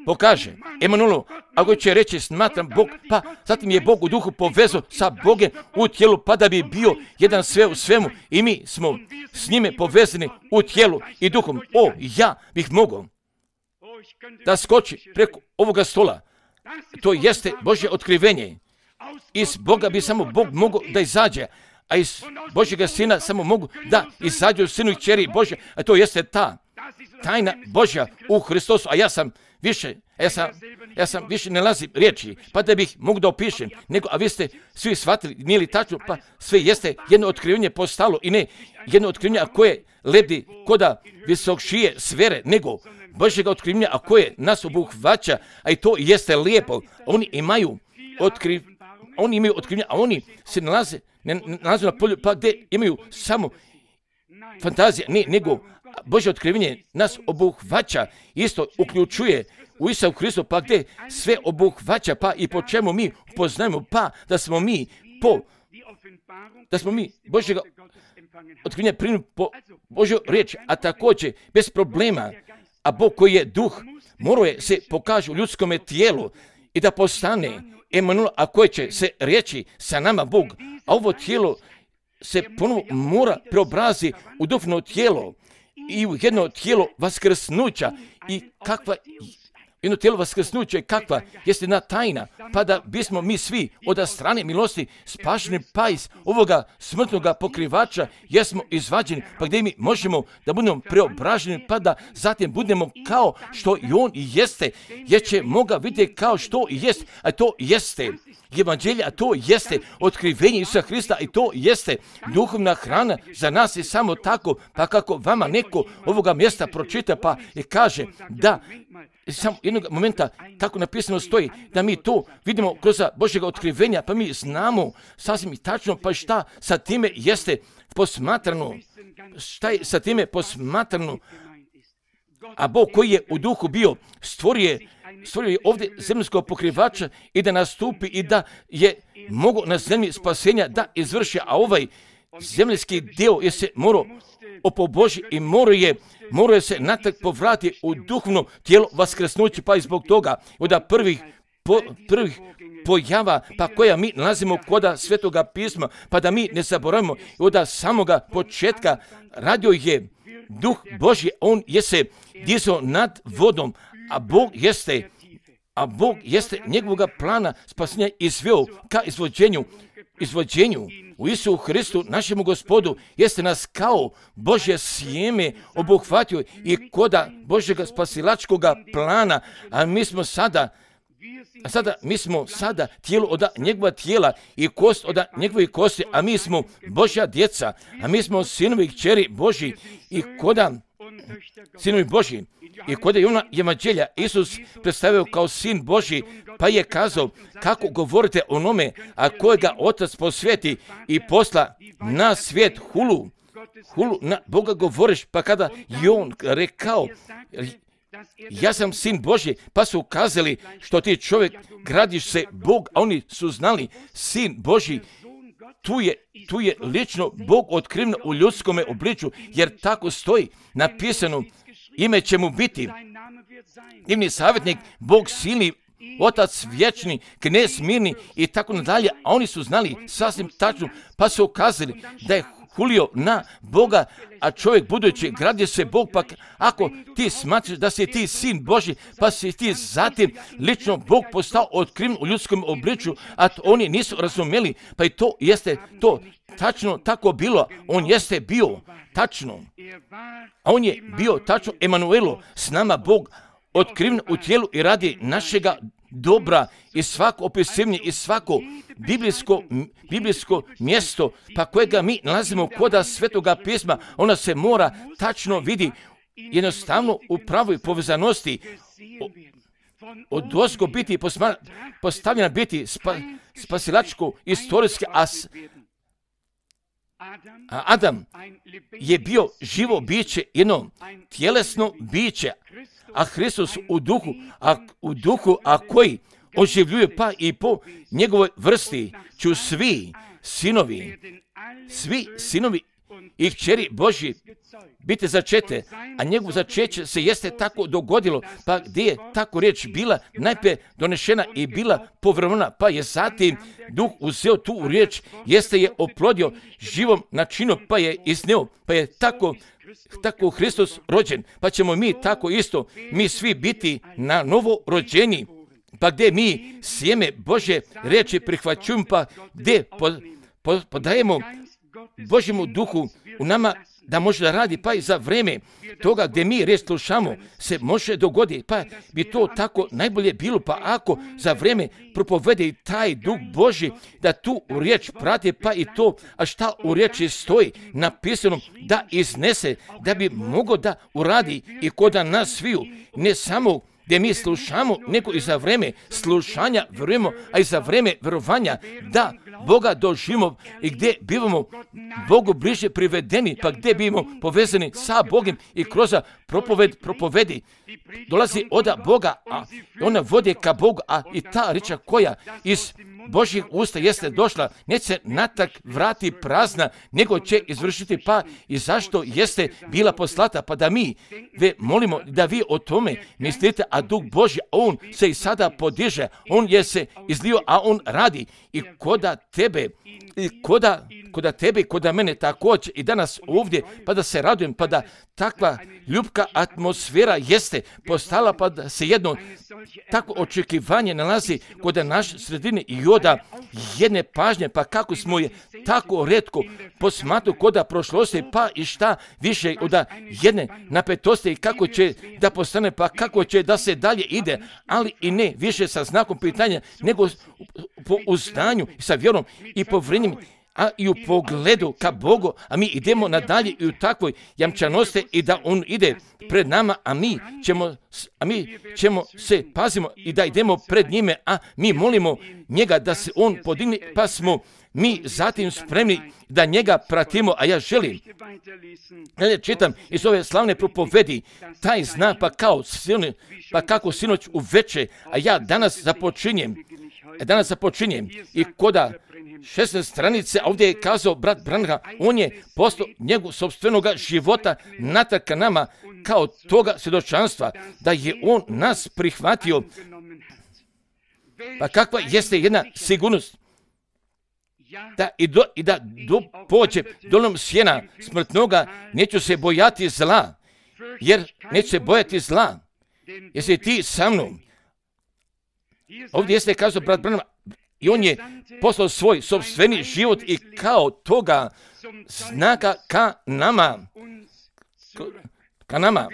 pokaže. Emanuelu, ako će reći smatram Bog, pa zatim je Bog u duhu povezao sa Bogem u tijelu, pa da bi bio jedan sve u svemu i mi smo s njime povezani u tijelu i duhom. O, ja bih mogao da skoči preko ovoga stola. To jeste Božje otkrivenje. Iz Boga bi samo Bog mogao da izađe, a iz Božjega Sina samo mogu da izađu sinu i kćeri Božje, a to jeste ta tajna Božja u Hristosu, a ja sam više, ja sam, ja sam više ne nalazim riječi, pa da bih mogu da opišem, nego, a vi ste svi shvatili, nije li tačno, pa sve jeste jedno otkrivenje postalo i ne jedno otkrivenje, a koje lebdi koda visokšije sfere, nego Božjega otkrivenja, a koje nas obuhvaća, a i to jeste lijepo. Oni imaju otkri, oni imaju otkrivenja, a oni se nalaze, ne, nalaze na polju, pa gdje imaju samo fantazija, ne, nego Božje otkrivenje nas obuhvaća, isto uključuje u Isusu Hristu, pa gdje sve obuhvaća, pa i po čemu mi poznajemo, pa da smo mi po, da smo mi Božjega otkrivenja primili po Božju riječ, a također bez problema, a Bog koji je duh, morao je se pokaže u ljudskome tijelu i da postane Emanuel, a koje će se reći sa nama Bog, a ovo tijelo se ponovo mora preobrazi u duhovno tijelo i u jedno tijelo vaskrsnuća. I kakva jedno tijelo vaskrsnuća, kakva jeste jedna tajna, pa da bismo mi svi od strane milosti spašeni pa iz ovoga smrtnoga pokrivača jesmo izvađeni, pa gdje mi možemo da budemo preobraženi, pa da zatim budemo kao što i on i jeste, jer će moga vidjeti kao što i jest, a to jeste evanđelje, a to jeste otkrivenje Isusa Hrista i to jeste duhovna hrana za nas. I samo tako, pa kako vama neko ovoga mjesta pročita pa i kaže da samo jednog momenta tako napisano stoji da mi to vidimo kroz Božjega otkrivenja, pa mi znamo sasvim i tačno pa šta sa time jeste posmatrano, šta je sa time posmatrano, a Bog koji je u duhu bio stvorio stvorio je ovdje zemljskog pokrivača i da nastupi i da je mogo na zemlji spasenja da izvrši, a ovaj zemljski dio je se morao opoboži i morao je, morao je se natrag povrati u duhovno tijelo vaskrsnuće, pa i zbog toga od prvih, po, prvih pojava pa koja mi nalazimo kod Svetoga pisma, pa da mi ne zaboravimo od samoga početka radio je Duh Božji, on je se dizao nad vodom, a Bog jeste, a Bog jeste njegovog plana spasenja izveo ka izvođenju, izvođenju u Isusu Hristu, našemu Gospodu, jeste nas kao Božje sjeme obuhvatio i koda Božjega spasilačkog plana, a mi smo sada A sada, mi smo sada tijelo od njegova tijela i kost od njegove kosti, a mi smo Božja djeca, a mi smo sinovi i kćeri Božji i koda sinovi Božji. I kod je ona evanđelja Isus predstavio kao sin Božji, pa je kazao kako govorite o onome, a kojega Otac posveti i posla na svijet hulu, hulu na Boga govoriš, pa kada je on rekao ja sam sin Božji, pa su ukazali što ti čovjek gradiš se Bog, a oni su znali sin Božji. Tu je, tu je lično Bog otkriven u ljudskome obličju, jer tako stoji napisano, ime će mu biti divni savjetnik, Bog silni, Otac vječni, knez mirni i tako nadalje, a oni su znali sasvim tačno, pa su ukazali da je hulio na Boga, a čovjek budući gradi se Bog, pa ako ti smatraš da si ti sin Božji, pa si ti zatim lično Bog postao otkriven u ljudskom obličju, a to oni nisu razumjeli, pa i to jeste to tačno tako bilo, on jeste bio tačno, a on je bio tačno Emanuelo, s nama Bog otkriven u tijelu i radi našega dobra i svako opisivanje i svako biblijsko, biblijsko mjesto pa kojega mi nalazimo kod Svetoga pisma, ona se mora tačno vidi jednostavno u pravoj povezanosti od ozgo biti posma, postavljena biti spa, spasilačko istorijski, a, a Adam je bio živo biće, jedno tjelesno biće, a Hristos u duhu, a u duhu, a koji oživljuje pa i po njegovoj vrsti ću svi sinovi, svi sinovi i kćeri Božji biti začete, a njegovo začeće se jeste tako dogodilo, pa gdje je tako riječ bila najprije donešena i bila povremena, pa je zatim Duh uzeo tu riječ, jeste je oplodio živom načinom, pa je iznio, pa je tako tako Hristos rođen, pa ćemo mi tako isto, mi svi biti na novo rođeni, pa gdje mi sjeme Božje riječi prihvaćujemo, pa gdje po, po, podajemo Božjemu duhu u nama da može da radi, pa i za vrijeme toga gdje mi riječ slušamo se može dogoditi, pa bi to tako najbolje bilo, pa ako za vrijeme propovede i taj Duh Božji da tu u riječ prati, pa i to, a šta u riječi stoji napisano da iznese, da bi mogo da uradi i kod nas sviju, ne samo gdje mi slušamo, nego i za vreme slušanja vjerujemo, a i za vreme vjerovanja da Boga doživimo i gdje bivamo Bogu bliže privedeni, pa gdje bivamo povezani sa Bogom i kroz propoved propovedi dolazi od Boga, a ona vodi ka Bogu, a i ta riča koja iz Božjih usta jeste došla, neće se natak vrati prazna, nego će izvršiti pa i zašto jeste bila poslata, pa da mi ve molimo da vi o tome mislite, a Duh Božji, on se i sada podiže, on je se izlio, a on radi i koda tebe, i koda, koda tebe i koda mene također i danas ovdje, pa da se radujem, pa da takva ljubka atmosfera jeste postala, pa da se jedno tako očekivanje nalazi kod naš sredini i oda jedne pažnje, pa kako smo je tako retko posmatru koda prošlosti, pa i šta više od jedne napetosti i kako će da postane, pa kako će da se dalje ide, ali i ne više sa znakom pitanja, nego po uznanju i sa vjerom i po vrenjem, a i u pogledu ka Bogu, a mi idemo nadalje i u takvoj jamčanosti i da on ide pred nama, a mi ćemo, a mi ćemo se pazimo i da idemo pred njime, a mi molimo njega da se on podigne, pa smo mi zatim spremni da njega pratimo, a ja želim. Ja čitam iz ove slavne propovedi, taj znak pa kao silni, pa kako sinoć u veče, a ja danas započinjem, danas započinjem i koda šesnaeste stranice, ovdje je kazao brat Branham, on je poslao njegov sopstvenoga života natrag ka nama kao toga svjedočanstva, da je on nas prihvatio. Pa kakva jeste jedna sigurnost? Da i, do, i da do pođe dolom sjena smrtnoga, neću se bojati zla, jer neću se bojati zla, jesi ti sa mnom. Ovdje jeste kazao brat Branham, i on je poslao svoj sopstveni život i kao toga znaka ka nama. Ka nama.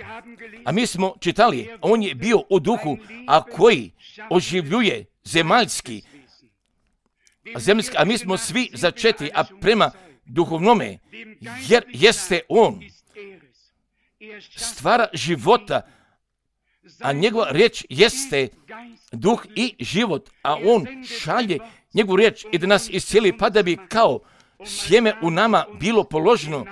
A mi smo čitali, on je bio u duhu, a koji oživljuje zemaljski. A, zemaljski, a mi smo svi začeti, a prema duhovnome, jer jeste on stvara života, a njegova riječ jeste duh i život, a on šalje njegovu riječ i da nas iscijeli, pa da bi kao sjeme u nama bilo položeno,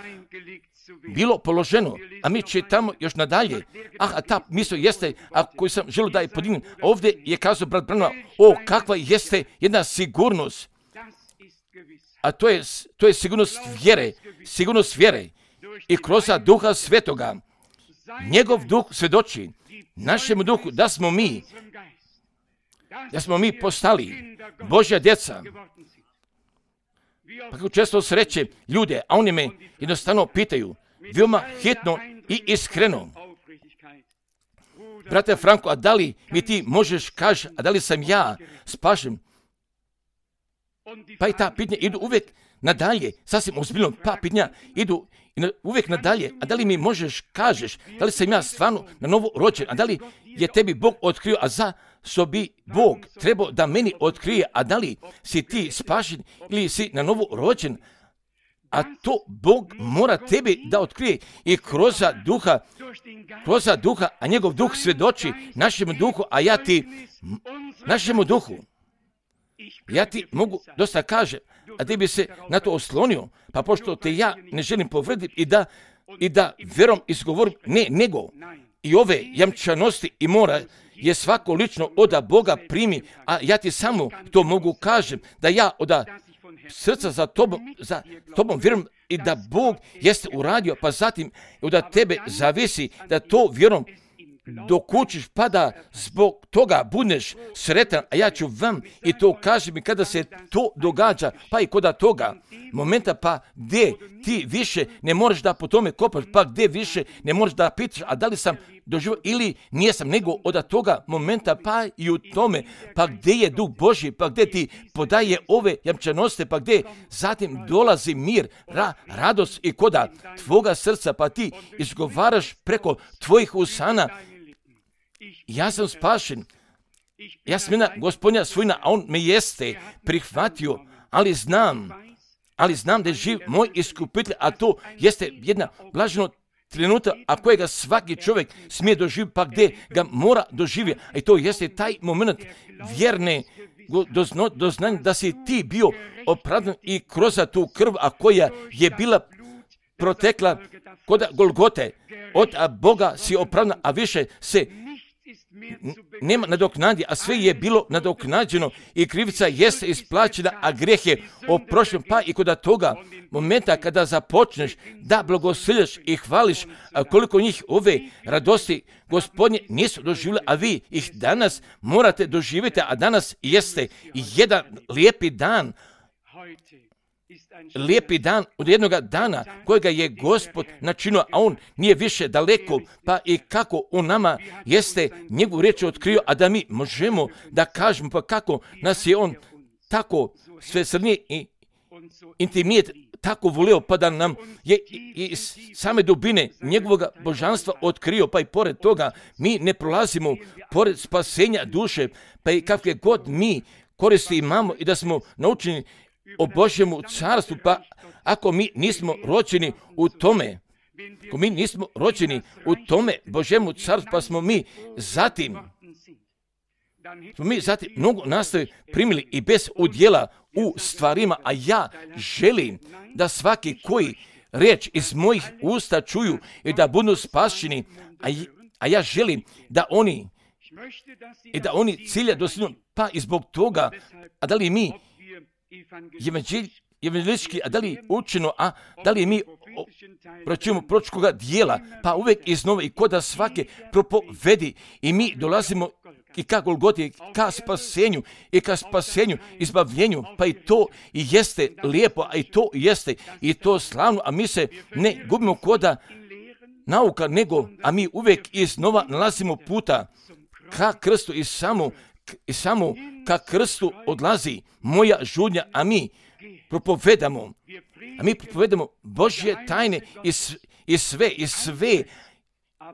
bilo položeno, a mi čitamo još nadalje. Ah, a ta misl jeste, a koju sam želio da je podignem, ovdje je kazao brat Branham, o, kakva jeste jedna sigurnost, a to je, to je sigurnost vjere, sigurnost vjere i kroz duha svetoga. Njegov duh svjedoči našem duhu da smo mi, da smo mi postali Božja djeca. Pa kako često sreće ljude, a oni me jednostavno pitaju, veoma hitno i iskreno, brate Franko, a da li mi ti možeš kaži, a da li sam ja spašen? Pa i ta pitanja idu uvijek nadalje, sasvim ozbiljno, pa pitanja idu uvijek nadalje, a da li mi možeš kažeš, da li sam ja stvarno na novo rođen, a da li je tebi Bog otkrio, a za što bi Bog trebao da meni otkrije, a da li si ti spašen ili si na novo rođen, a to Bog mora tebi da otkrije i kroz duha, kroz duha, a njegov duh svjedoči našem duhu, a ja ti, našemu duhu, ja ti mogu dosta kaže, a ti bi se na to oslonio, pa pošto te ja ne želim povrediti i da, i da vjerom izgovorim, ne, nego i ove jamčanosti i mora je svako lično od Boga primi, a ja ti samo to mogu kažem, da ja od srca za tobom, za tobom vjerujem i da Bog jeste uradio, pa zatim od tebe zavisi da to vjerom dokučiš, pa da zbog toga budeš sretan, a ja ću vam i to kažem i kada se to događa, pa i koda toga momenta, pa gdje ti više ne možeš da po tome kopaš, pa gdje više ne možeš da pitaš, a da li sam doživio ili nijesam, nego od toga momenta, pa i u tome, pa gdje je Duh Božji, pa gdje ti podaje ove jamčanosti, pa gdje zatim dolazi mir, ra, radost i koda tvoga srca, pa ti izgovaraš preko tvojih usana, ja sam spašen, ja sam jedna Gospodnja svojina, a on me jeste prihvatio, ali znam, ali znam da je živ moj iskupitelj, a to jeste jedna blaženo trenutak, a kojega svaki čovjek smije doživjeti, pa gdje ga mora doživjeti. I to jeste taj moment vjerne doznanja da si ti bio opravdan i kroz tu krv, a koja je bila protekla kod Golgote. Od Boga si opravdan, a više se nema nadoknadi, a sve je bilo nadoknađeno i krivica jeste isplaćena, a grijeh je oprošten. Pa i kod toga momenta kada započneš da blagoslovljaš i hvališ, koliko njih ove radosti Gospodnje nisu doživjeli, a vi ih danas morate doživjeti, a danas jeste jedan lijepi dan. Lijepi dan od jednog dana kojega je Gospod načinio, a on nije više daleko, pa i kako on nama jeste njegovu riječ otkrio, a da mi možemo da kažemo pa kako nas je on tako svesrdnije i intimijet tako volio, pa da nam je iz same dubine njegovog božanstva otkrio, pa i pored toga mi ne prolazimo pored spasenja duše, pa i kakve god mi koristi imamo i da smo naučeni o Božjemu carstvu, pa ako mi nismo rođeni u tome, ako mi nismo rođeni u tome Božjemu carstvu, pa smo mi zatim, smo mi zatim mnogo nastavi primili i bez udjela u stvarima, a ja želim da svaki koji riječ iz mojih usta čuju i da budu spašeni, a, a ja želim da oni i da oni cilja dosegnu, pa i zbog toga, a da li mi evangelistički, a da li učeno, a da li mi pročujemo proročkoga dijela, pa uvijek iznova i koda svake propovedi i mi dolazimo i ka Golgoti, ka spasenju i ka spasenju, izbavljenju, pa i to i jeste lijepo, a i to jeste i to slavno, a mi se ne gubimo koda nauka, nego, a mi uvijek iznova nalazimo puta ka krstu i samo i samo ka krstu odlazi moja žudnja, a mi propovedamo, a mi propovedamo Božje tajne i, i sve, i sve, a,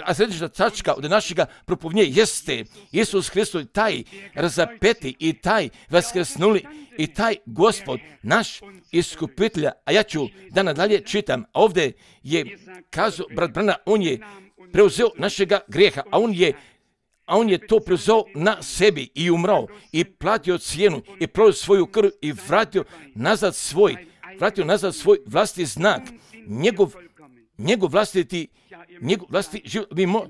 a središnja tačka od našega propovnje jeste Isus Hristos, taj razapeti i taj vaskrsnuli i taj Gospod, naš iskupitelja. A ja ću da nadalje čitam, ovdje je kazao brat Brana, on je preuzeo našega grijeha, a on je a on je to preuzeo na sebi i umrao i platio cijenu i prolio svoju krv i vratio nazad svoj, vratio nazad svoj vlastiti znak, njegov, njegov vlastiti, njegov vlastiti život. Mi, mo,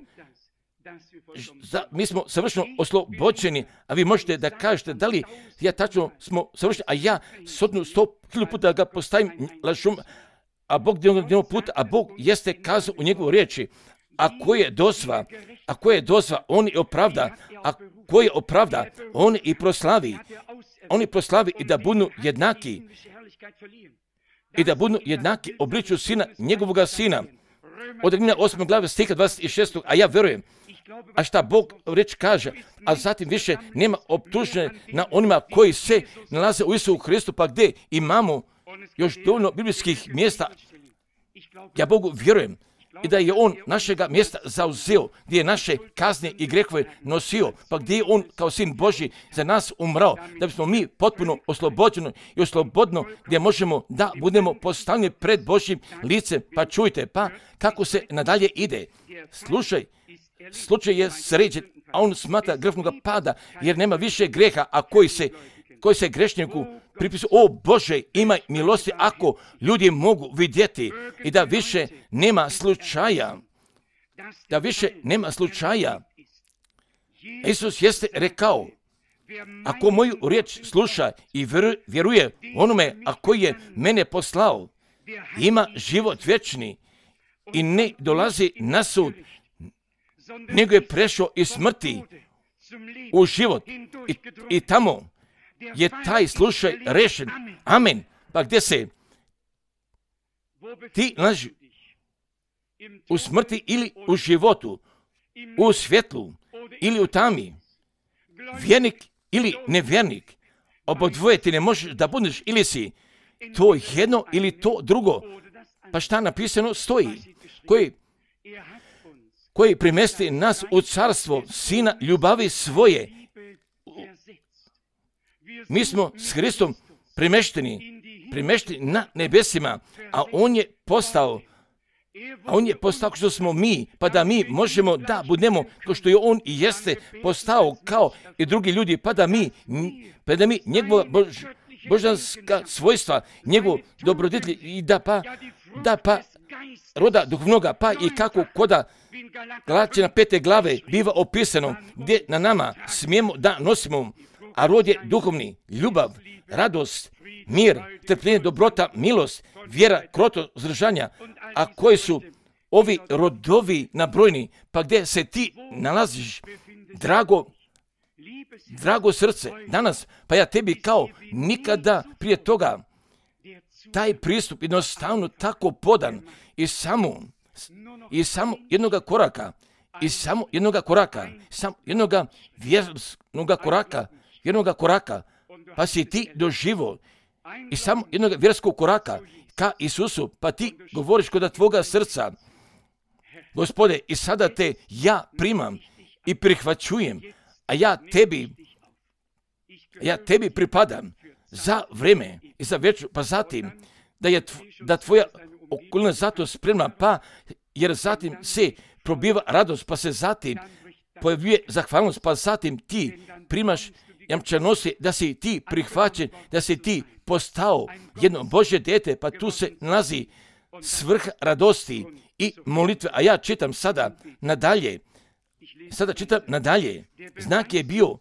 za, mi smo savršeno oslobođeni, a vi možete da kažete da li ja tačno smo savršeni, a ja sotnu sto hiljadu puta ga postavim lažom, a Bog jednog puta, a Bog jeste kazao u njegovoj riječi, a ko je dozva, a ko je dozva, on i opravda, a ko je opravda, on i proslavi, on i proslavi i da budu jednaki, i da budu jednaki obliču sina, njegovoga sina. Od Rimljana osme glave stiha dvadeset šestog, a ja verujem, a šta Bog reč kaže, a zatim više nema optužne na onima koji se nalaze u Isusu Hristu, pa gdje imamo još dovoljno biblijskih mjesta. Ja Bogu vjerujem i da je on našega mjesta zauzeo, gdje je naše kazne i grehove nosio, pa gdje je on kao sin Božji za nas umrao, da bismo mi potpuno oslobođeno i oslobodno, gdje možemo da budemo postavljeni pred Božjim licem. Pa čujte, pa kako se nadalje ide. Slušaj, slučaj je sređen, a on smatra grehnoga pada, jer nema više greha, a koji se, koji se grešniku pripisuje. O Bože, imaj milosti ako ljudi mogu vidjeti i da više nema slučaja, da više nema slučaja. Isus jeste rekao, ako moju riječ sluša i vjeruje onome, a koji je mene poslao, ima život vječni i ne dolazi na sud, nego je prešao iz smrti u život i, i tamo je taj slučaj rešen. Amen. Pa gdje se ti nalazi? U smrti ili u životu, u svjetlu ili u tami, vjernik ili nevjernik, obodvoje ti ne možeš da budeš, ili si to jedno ili to drugo. Pa šta napisano stoji? Koji, koji primesti nas u carstvo sina ljubavi svoje. Mi smo s Hristom primešteni, primešteni na nebesima, a on je postao A on je postao što smo mi, pa da mi možemo da budemo kao što je on i jeste postao kao i drugi ljudi, pa da mi, pa da mi njegova bož, božanska svojstva, njegov dobroditelj i da pa, da pa roda duhovnoga, pa i kako koda Galačana pete glave biva opisano, gdje na nama smijemo da nosimo, a rod je duhovni, ljubav, radost, mir, trpljenje, dobrota, milost, vjera, kroto, zdržanja, a koji su ovi rodovi nabrojni, pa gdje se ti nalaziš, drago, drago srce, danas, pa ja tebi kao nikada prije toga, taj pristup jednostavno tako podan i samo, i samo jednoga koraka, i samo jednoga koraka, samo jednoga vjernoga koraka, jednoga koraka, pa si ti doživo i samo jednog vjerskog koraka ka Isusu, pa ti govoriš kod tvoga srca, Gospode, i sada te ja primam i prihvaćujem, a ja tebi, ja tebi pripadam za vreme i za večer, pa zatim da je tv, da tvoja okolina zato spremna, pa jer zatim se probiva radost, pa se zatim pojavljuje zahvalnost, pa zatim ti primaš jamčanosti da si ti prihvaćen, da si ti postao jedno Božje dete, pa tu se nalazi svrha radosti i molitve. A ja čitam sada nadalje, sada čitam nadalje, znak je bio,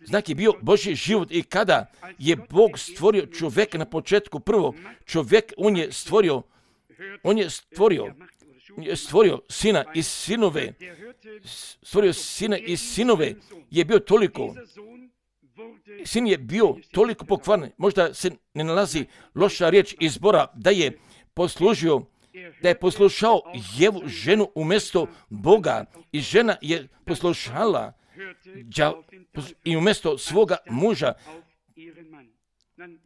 znak je bio Božji život i kada je Bog stvorio čovjeka na početku, prvo čovjek, on je stvorio, on je stvorio, je stvorio sina i sinove, stvorio sina i sinove, je bio toliko, sin je bio toliko pokvaren, možda se ne nalazi loša riječ izbora, da je poslužio, da je poslušao Jevu ženu umjesto Boga i žena je poslušala i umjesto svoga muža.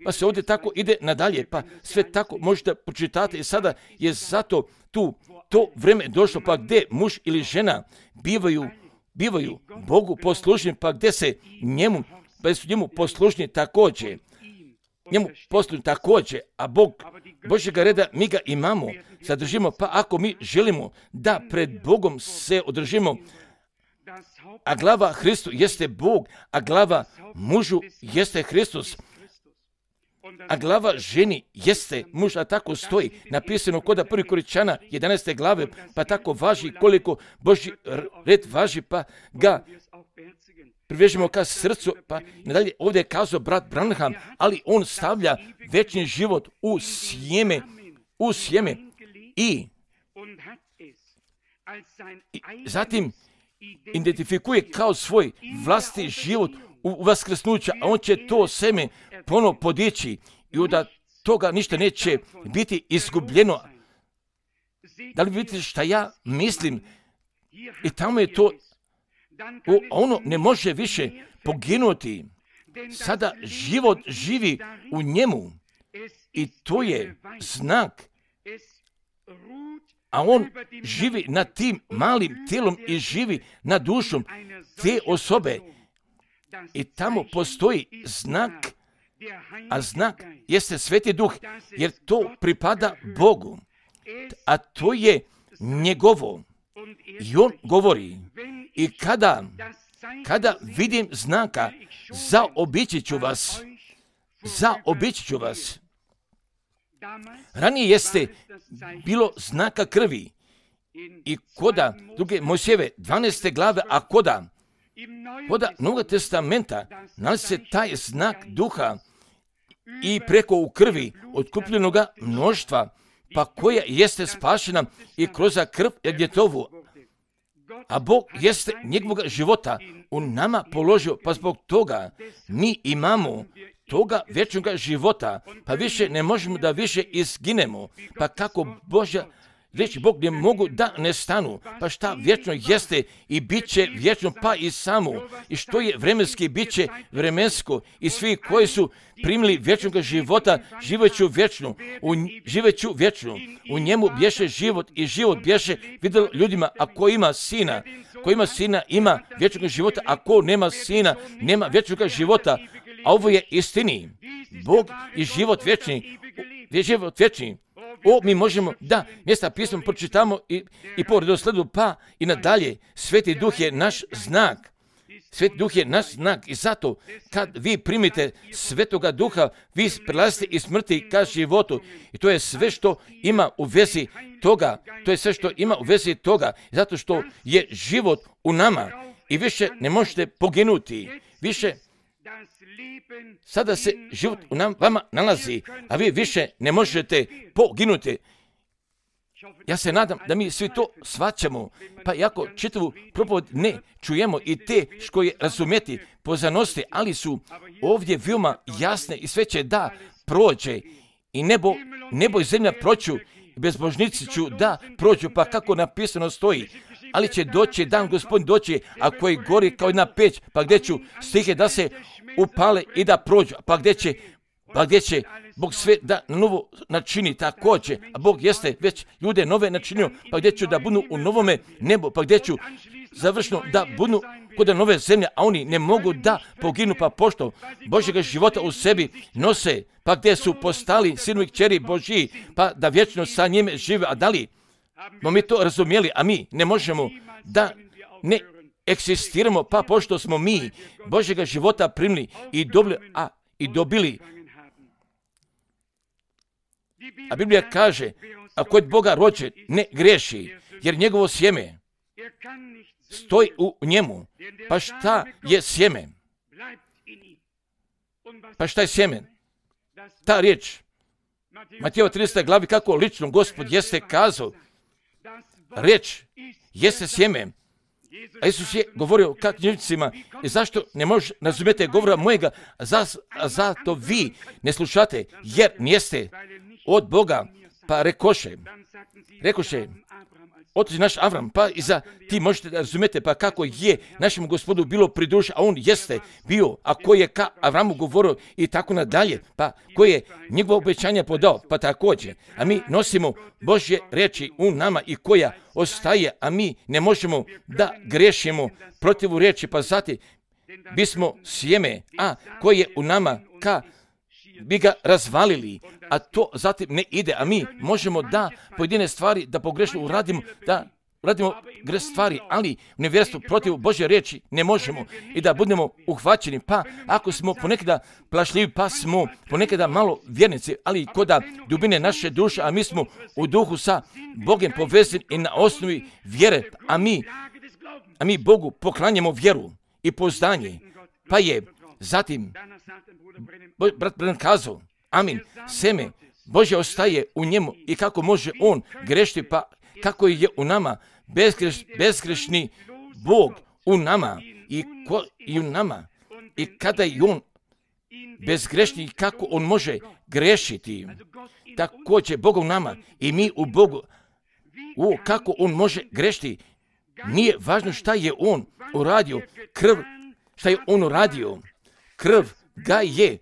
Pa se ovdje tako ide nadalje, pa sve tako možete pročitati i sada je zato tu to vrijeme došlo, pa gdje muž ili žena bivaju, bivaju Bogu poslušni, pa gdje se njemu, pa su njemu poslušni također, njemu poslušni također, a Bog, Božjega reda mi ga imamo, zadržimo, pa ako mi želimo da pred Bogom se održimo, a glava Hristu jeste Bog, a glava mužu jeste Hristus, a glava ženi jeste muž, a tako stoji napisano kod prvi Korinčana jedanaeste glave, pa tako važi koliko Božji red važi, pa ga privežemo ka srcu, pa nadalje ovdje je kazao brat Branham, ali on stavlja večni život u sjeme, u sjeme i, i zatim identifikuje kao svoj vlastni život u vaskrsnuća, a on će to seme ponovo podići i od toga ništa neće biti izgubljeno. Da li vidite šta ja mislim? I tamo je to, o, ono ne može više poginuti. Sada život živi u njemu i to je znak. A on živi nad tim malim tijelom i živi nad dušom te osobe. I tamo postoji znak, a znak jeste Sveti Duh, jer to pripada Bogu, a to je njegovo. I on govori, i kada, kada vidim znaka, zaobići ću vas, zaobići ću vas. Ranije jeste bilo znaka krvi i koda druge Mojsijeve dvanaeste glave, a koda Koda Novog testamenta nalazi se taj znak duha i preko u krvi otkupljenoga mnoštva, pa koja jeste spašena i kroz krv Jagnjetovu. A Bog jeste njegovog života u nama položio, pa zbog toga mi imamo toga vječnog života, pa više ne možemo da više izginemo, pa kako Božja reći Bog ne mogu da ne stanu, pa šta vječno jeste i bit će vječno, pa i samo, i što je vremenski, bit će vremensko, i svi koji su primili vječnog života, živeću vječno, u, živeću vječno, u njemu bješe život i život bješe vidjelo ljudima, a ko ima sina, ko ima sina ima vječnog života, a ko nema sina nema vječnog života, a ovo je istini, Bog i život vječni, život vječni, O, mi možemo, da, mjesta pisma pročitamo i, i po redosledu, pa i nadalje. Sveti Duh je naš znak. Sveti Duh je naš znak i zato kad vi primite Svetoga Duha, vi prelazite iz smrti ka životu. I to je sve što ima u vezi toga. To je sve što ima u vezi toga. Zato što je život u nama i više ne možete poginuti. Više sada se život u nam, vama nalazi, a vi više ne možete poginuti. Ja se nadam da mi svi to shvaćamo, pa iako čitavu propoved ne čujemo i te što je razumjeti pozanosti, ali su ovdje veoma jasne i sve će da prođe i nebo, nebo i zemlja proću, bezbožnici ću da prođu, pa kako napisano stoji. Ali će doći dan, Gospodin doći, a koji gori kao jedna peć, pa gdje ću stihe da se upale i da prođu, pa gdje će, pa gdje će Bog sve da novo načini također, a Bog jeste već ljude nove načinio, pa gdje ću da budu u novome nebu, pa gdje ću završno da budu kod nove zemlje, a oni ne mogu da poginu, pa pošto Božjega života u sebi nose, pa gdje su postali sinovi kćeri Božji, pa da vječno sa njime žive, a da li smo mi to razumjeli, a mi ne možemo da ne eksistiramo, pa pošto smo mi Božjega života primili i dobili, a i dobili. A Biblija kaže, a kod Boga rođen ne griješi, jer njegovo sjeme stoji u njemu. Pa šta je sjeme? Pa šta je sjeme? Ta riječ, Matejeva tridesete glavi, kako lično Gospod jeste kazao, riječ jeste sjeme. A Isus je govorio ka knjižnicima, i zašto ne možete razumjeti govora mojega, za, zato vi ne slušate, jer nijeste od Boga, pa rekoše, rekoše, otac naš Avram, pa i za ti možete razumjeti, pa kako je našem Gospodu bilo pri duši, a on jeste bio, a koji je ka Avramu govorio i tako nadalje, pa koji je njegovo obećanje podao, pa također, a mi nosimo Božje riječi u nama i koja ostaje, a mi ne možemo da grešimo protiv riječi, pa zatim bismo sjeme, a koje je u nama ka bi ga razvalili, a to zatim ne ide, a mi možemo da pojedine stvari da pogrešno uradimo, da radimo greš stvari, ali u nevjerstvu protiv Božje riječi ne možemo i da budemo uhvaćeni, pa ako smo ponekada plašljivi, pa smo ponekada malo vjernici, ali koda dubine naše duše, a mi smo u duhu sa Bogom povezani i na osnovi vjere, a mi, a mi Bogu poklanjamo vjeru i poznanje, pa je zatim brat Branham kazao, amin, seme Božje ostaje u njemu i kako može on grešiti, pa kako je u nama bezgreš, bezgrešni Bog u nama i, ko, i u nama i kada je on bezgrešni, kako on može grešiti, također Bog u nama i mi u Bogu, o, kako on može grešiti, nije važno šta je on uradio, krv, šta je on uradio, krv ga je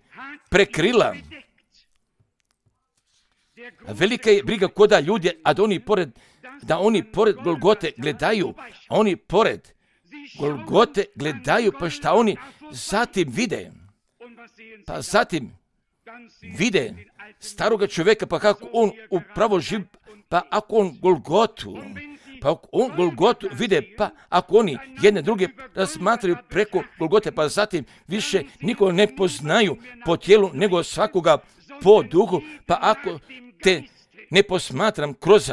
prekrila. Velika je briga koda ljudi, a da oni pored, da oni pored Golgote gledaju, a oni pored Golgote gledaju, pa šta oni zatim vide? Pa zatim vide staroga čovjeka, pa kako on upravo živi, pa ako on Golgotu, pa ako on Golgotu vide, pa ako oni jedne druge razmatraju preko Golgote, pa zatim više nikoga ne poznaju po tijelu, nego svakoga po duhu, pa ako te ne posmatram kroz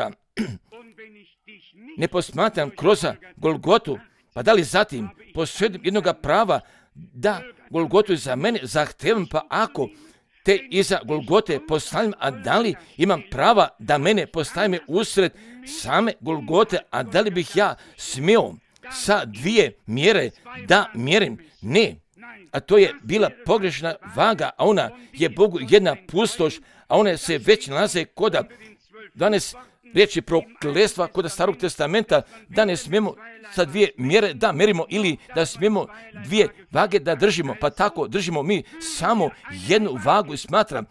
ne posmatram kroz Golgotu, pa da li zatim posvedim jednoga prava da Golgotu za mene zahtevam, pa ako te iza Golgote postavim, a da li imam prava da mene postavim usred same Golgote, a da li bih ja smio sa dvije mjere da mjerim? Ne, a to je bila pogrešna vaga, a ona je Bogu jedna pustoš, a one se već nalaze koda dvanaest riječi prokletstva kod Starog testamenta, da ne smijemo sa dvije mjere da merimo ili da smijemo dvije vage da držimo, pa tako držimo mi samo jednu vagu i smatram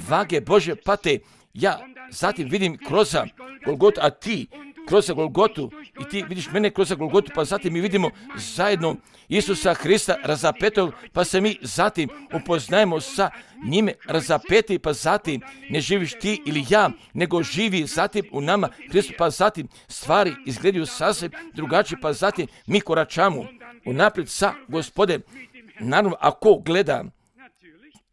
vage Bože pate. Ja zatim vidim kroz Golgotu, a ti kroz Golgotu i ti vidiš mene kroz Golgotu, pa zatim mi vidimo zajedno Isusa Hrista razapetog, pa se mi zatim upoznajemo sa njime razapeti, pa zatim ne živiš ti ili ja, nego živi zatim u nama Hristu, pa zatim stvari izgledaju sasvim drugačije, pa zatim mi koračamo unaprijed sa Gospodem. Naravno, ako gleda,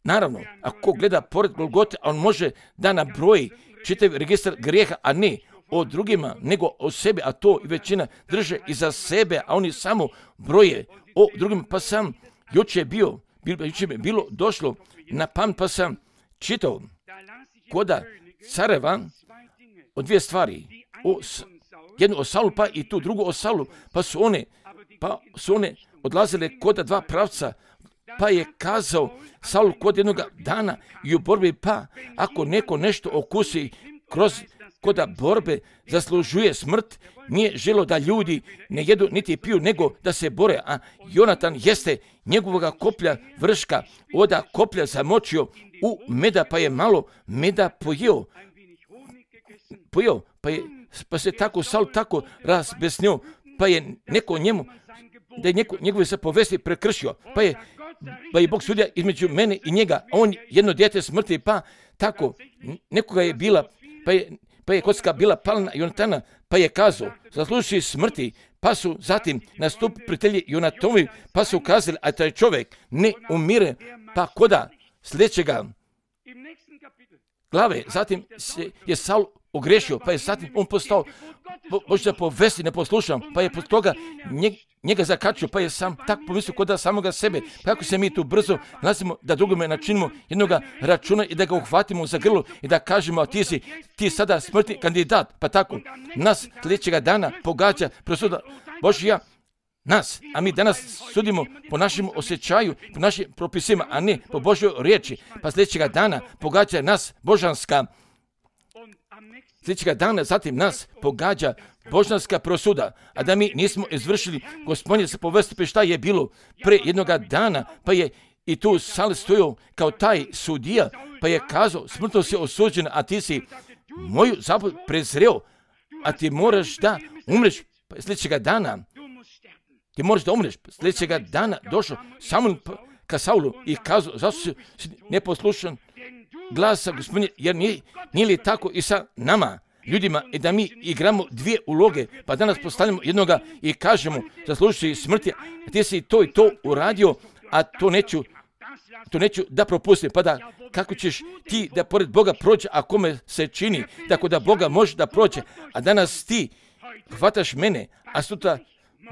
naravno, ako gleda pored Golgote, on može da nabroji čitav registar grijeha, a ne o drugima, nego o sebi, a to i većina drže iza sebe, a oni samo broje o drugima. Pa sam juče je bio, juče je bilo došlo na pamet, pa sam čitao koda careva o dvije stvari, o, jednu o Saulu, pa i tu drugu o Saulu, pa su one, pa su one odlazile koda dva pravca, pa je kazao Saul kod jednog dana i u borbi, pa ako neko nešto okusi kroz koda borbe zaslužuje smrt, nije želo da ljudi ne jedu niti piju, nego da se bore, a Jonatan jeste njegovoga koplja vrška, oda koplja zamočio u meda, pa je malo meda pojeo, pojeo, pa, je, pa se tako Saul tako razbesnio, pa je neko njemu, da je neko, njegove zapovesti prekršio, pa je, pa je Bog sudio između mene i njega, a on jedno dijete smrti, pa tako nekoga je bila, pa je, pa je kocka bila pala na Jonatana, pa je kazao, zasluži smrti, pa su zatim nastupili prijatelji Jonatovi, pa su kazali, a taj čovjek ne umire, pa koda sljedećega glave, zatim se je Saul ogrešio, pa je zatim on postao Božja povesti neposlušan, pa je pod toga njeg, njega zakačio, pa je sam tako pomislio kod da samoga sebe. Pa kako se mi tu brzo nalazimo da drugome načinimo jednoga računa i da ga uhvatimo za grlo i da kažemo, a ti si ti sada smrtni kandidat, pa tako nas sljedećega dana pogađa presuda Božja, nas, a mi danas sudimo po našem osjećaju, po našim propisima, a ne po Božjoj riječi, pa sljedećega dana pogađa nas božanska sljedećega dana zatim nas pogađa božanska prosuda, a da mi nismo izvršili Gospodnje se povesti, pa šta je bilo pre jednoga dana, pa je i tu Saul stojao kao taj sudija, pa je kazao, smrtno si osuđen, a ti si moju zapoved prezreo, a ti moraš da umreš. Pa sljedećega dana, ti moraš da umreš. Sljedećega dana došao Samuel ka Saulu i kazao, zašto si neposlušan glasa Gospodnje, jer nije, nije li tako i sa nama, ljudima, i da mi igramo dvije uloge, pa danas postavljamo jednoga i kažemo, zaslužujući smrti, a ti si to i to uradio, a to neću, to neću da propustim, pa da kako ćeš ti da pored Boga prođe, a kome se čini, tako da Boga može da prođe, a danas ti hvataš mene, a sutra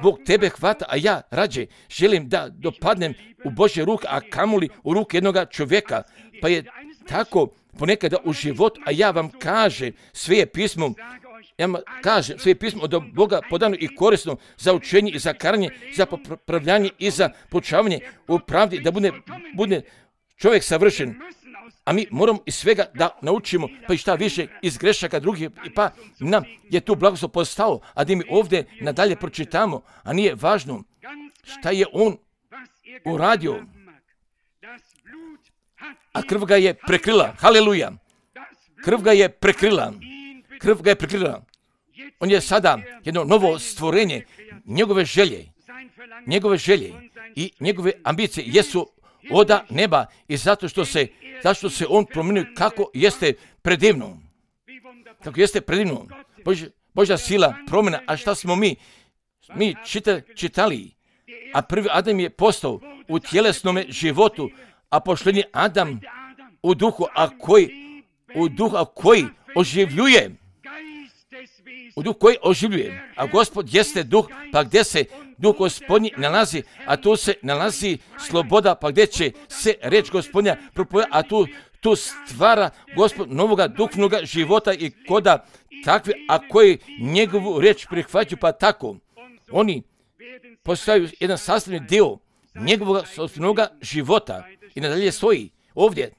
Bog tebe hvata, a ja rađe želim da dopadnem u Božje ruke, a kamoli u ruke jednoga čovjeka, pa je tako ponekada u život, a ja vam kažem sve je pismom, ja vam kažem sve je pismom od Boga podano i korisno za učenje i za karanje, za popravljanje i za poučavanje u pravdi, da bude, bude čovjek savršen. A mi moramo iz svega da naučimo, pa i šta više iz grešaka drugih, pa nam je tu blagoslov postao, a da mi ovdje nadalje pročitamo, a nije važno šta je on uradio, a krv ga je prekrila. Haleluja! Krv ga je prekrila. Krv ga je prekrila. On je sada jedno novo stvorenje. Njegove želje, njegove želje i njegove ambicije jesu oda neba i zato što se, zašto se on promijenio kako jeste predivno. Kako jeste predivno. Božja, Božja sila promjena. A šta smo mi? Mi čita, čitali. A prvi Adam je postao u tjelesnome životu, a pošljednji Adam u duhu, a koji, u duhu, a koji oživljuje. U duhu koji oživljuje. A Gospod jeste duh, pa gdje se duh Gospodnji nalazi, a tu se nalazi sloboda, pa gdje će se reč Gospodnja propovedati, a tu, tu stvara Gospod novoga duhovnoga života i koda takve, a koji njegovu reč prihvaćaju, pa tako oni postaju jedan sastavni dio njegovog sopstvenoga života i nadalje stoji ovdje.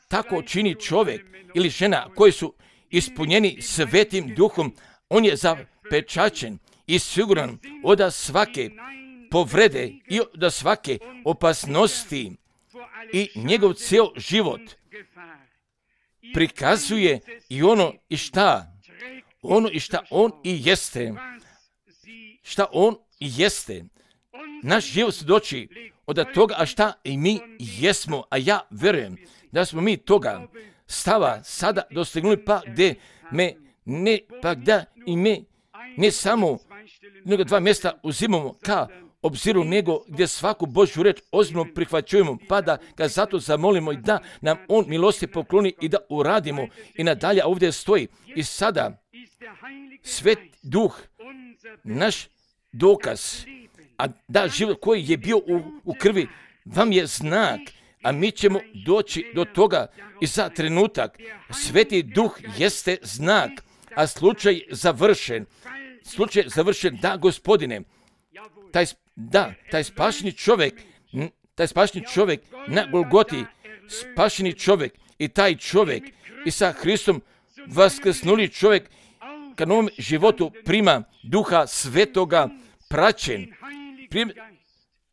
Tako čini čovjek ili žena koji su ispunjeni svetim duhom, on je zapečaćen i siguran od svake povrede i od svake opasnosti i njegov cijel život prikazuje i ono i šta ono i šta on i jeste. Šta on i jeste. Naš život svjedoči od toga, a šta i mi jesmo, a ja verujem da smo mi toga stava sada dostignuli, pa gdje me ne, pa da i me ne samo nego dva mjesta uzimamo ka obziru, nego gdje svaku Božju reč ozbiljno prihvaćujemo, pa da ga zato zamolimo i da nam on milosti pokloni i da uradimo. I nadalje ovdje stoji i sada Svet Duh, naš dokaz, a da život koji je bio u, u krvi vam je znak, a mi ćemo doći do toga i za trenutak. Sveti Duh jeste znak, a slučaj završen. Slučaj završen, da, Gospodine, taj, da, taj spašeni čovjek, taj spašeni čovjek na Golgoti, spašeni čovjek i taj čovjek i sa Hristom vaskrsnuli čovjek ka novom životu prima Duha Svetoga, praćen prim,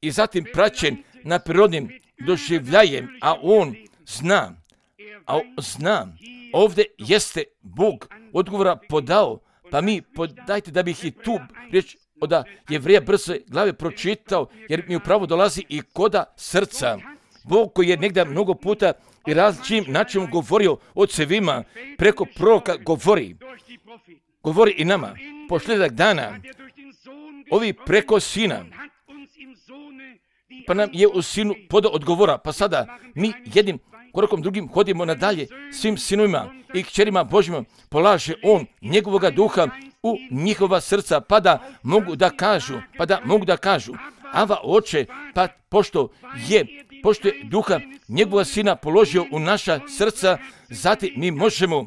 i zatim praćen na prirodnim doživljajem, a on zna, a zna, ovdje jeste Bog odgovora podao, pa mi podajte da bih i tu riječ od Jevreja brzo glave pročitao, jer mi upravo dolazi i koda srca. Bog koji je negdje mnogo puta i različitim načinom govorio ocevima, preko proroka govori, govori i nama. Posljedak dana, ovi preko Sina, pa nam je u Sinu podao odgovora, pa sada mi jednim korakom drugim hodimo nadalje svim sinovima i kćerima Božjima, polaže on njegovoga duha u njihova srca, pa da mogu da kažu, pa da mogu da kažu, Ava Oče, pa pošto je, pošto je duha njegova Sina položio u naša srca, zatim mi možemo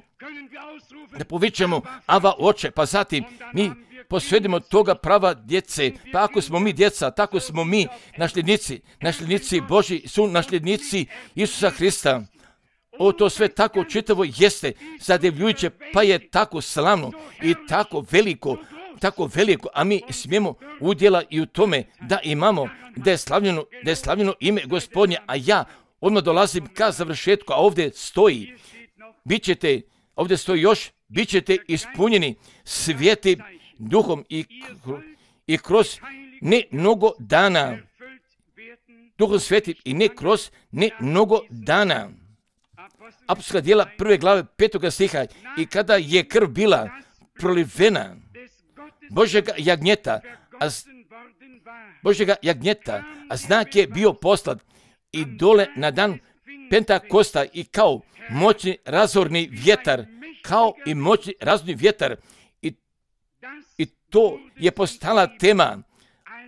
da povičemo Ava Oče, pa zatim mi posvedimo toga prava djece, pa ako smo mi djeca, tako smo mi nasljednici, nasljednici Božji su nasljednici Isusa Hrista. O, to sve tako čitavo jeste zadivljujuće, pa je tako slavno i tako veliko, tako veliko, a mi smijemo udjela i u tome da imamo, da je slavljeno, da je slavljeno ime Gospodnje, a ja odmah dolazim ka završetku, a ovdje stoji, bit ćete, ovdje stoji još, bit ćete ispunjeni Svetim Duhom i, i kroz ne mnogo dana, Duhom Svetim i ne kroz ne mnogo dana. Apostolska djela prve glave petoga stiha, i kada je krv bila prolivena Božjega jagnjeta, a Božjega jagnjeta, a znak je bio poslat i dole na dan Pentakosta i kao moćni razorni vjetar, kao i moćni razorni vjetar, i, i to je postala tema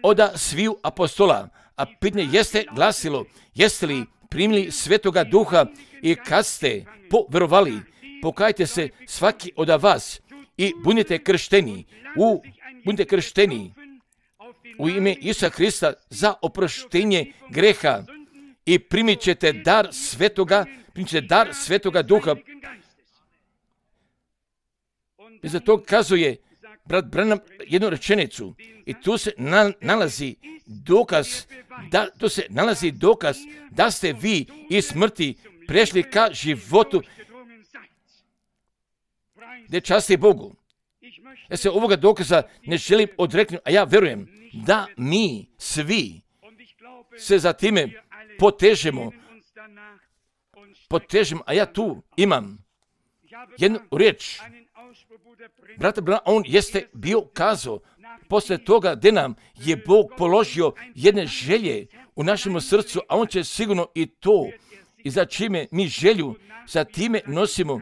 oda sviju apostola, a pitanje jeste glasilo, jeste li primili Svetoga Duha i kad ste poverovali, pokajte se svaki od vas i budite kršteni, u, budite kršteni u ime Isusa Hrista za oproštenje greha i primit ćete dar Svetoga, primit ćete dar Svetoga Duha. I za to kazuje brat Branham jednu rečenicu i tu se na, nalazi dokaz, da, tu se nalazi dokaz da ste vi iz smrti prešli ka životu, gdje časti Bogu. Ja se ovoga dokaza ne želim odreknuti, a ja verujem da mi svi se za time potežemo, potežemo, a ja tu imam jednu riječ. Brate, on jeste bio kazao, poslije toga gdje nam je Bog položio jedne želje u našem srcu, a on će sigurno i to, i za čime mi želju, za time nosimo,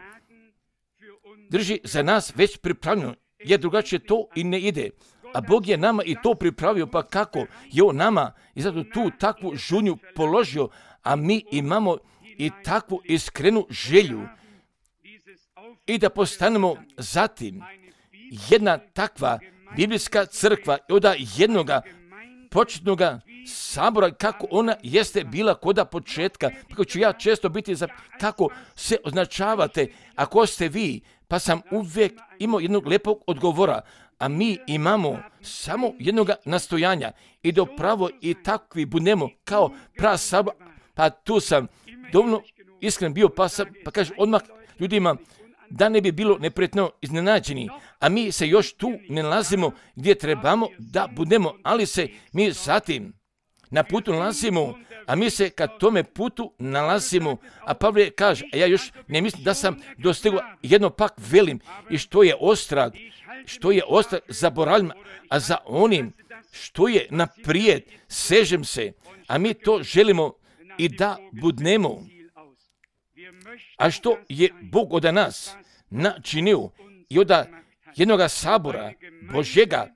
drži za nas već pripravljeno, jer drugačije to i ne ide. A Bog je nama i to pripravio, pa kako je on nama i zato tu takvu žunju položio, a mi imamo i takvu iskrenu želju i da postanemo zatim jedna takva biblijska crkva i od jednoga početnog sabora kako ona jeste bila koda početka. Kako ću ja često biti za kako se označavate ako ste vi, pa sam uvijek imao jednog lepog odgovora, a mi imamo samo jednog nastojanja i da pravo i takvi budemo kao prav sabor, pa tu sam dovoljno iskren bio, pa, sam, pa kažem odmah ljudima, da ne bi bilo neprijatno iznenađeni, a mi se još tu ne nalazimo gdje trebamo da budemo, ali se mi zatim na putu nalazimo, a mi se kad tome putu nalazimo, a Pavle kaže, a ja još ne mislim da sam dostigao, jedno pak velim, i što je ostrag, što je ostrag zaboravljam, a za onim što je naprijed sežem se, a mi to želimo i da budnemo. A što je Bog od nas načinio i od jednoga sabora Božjega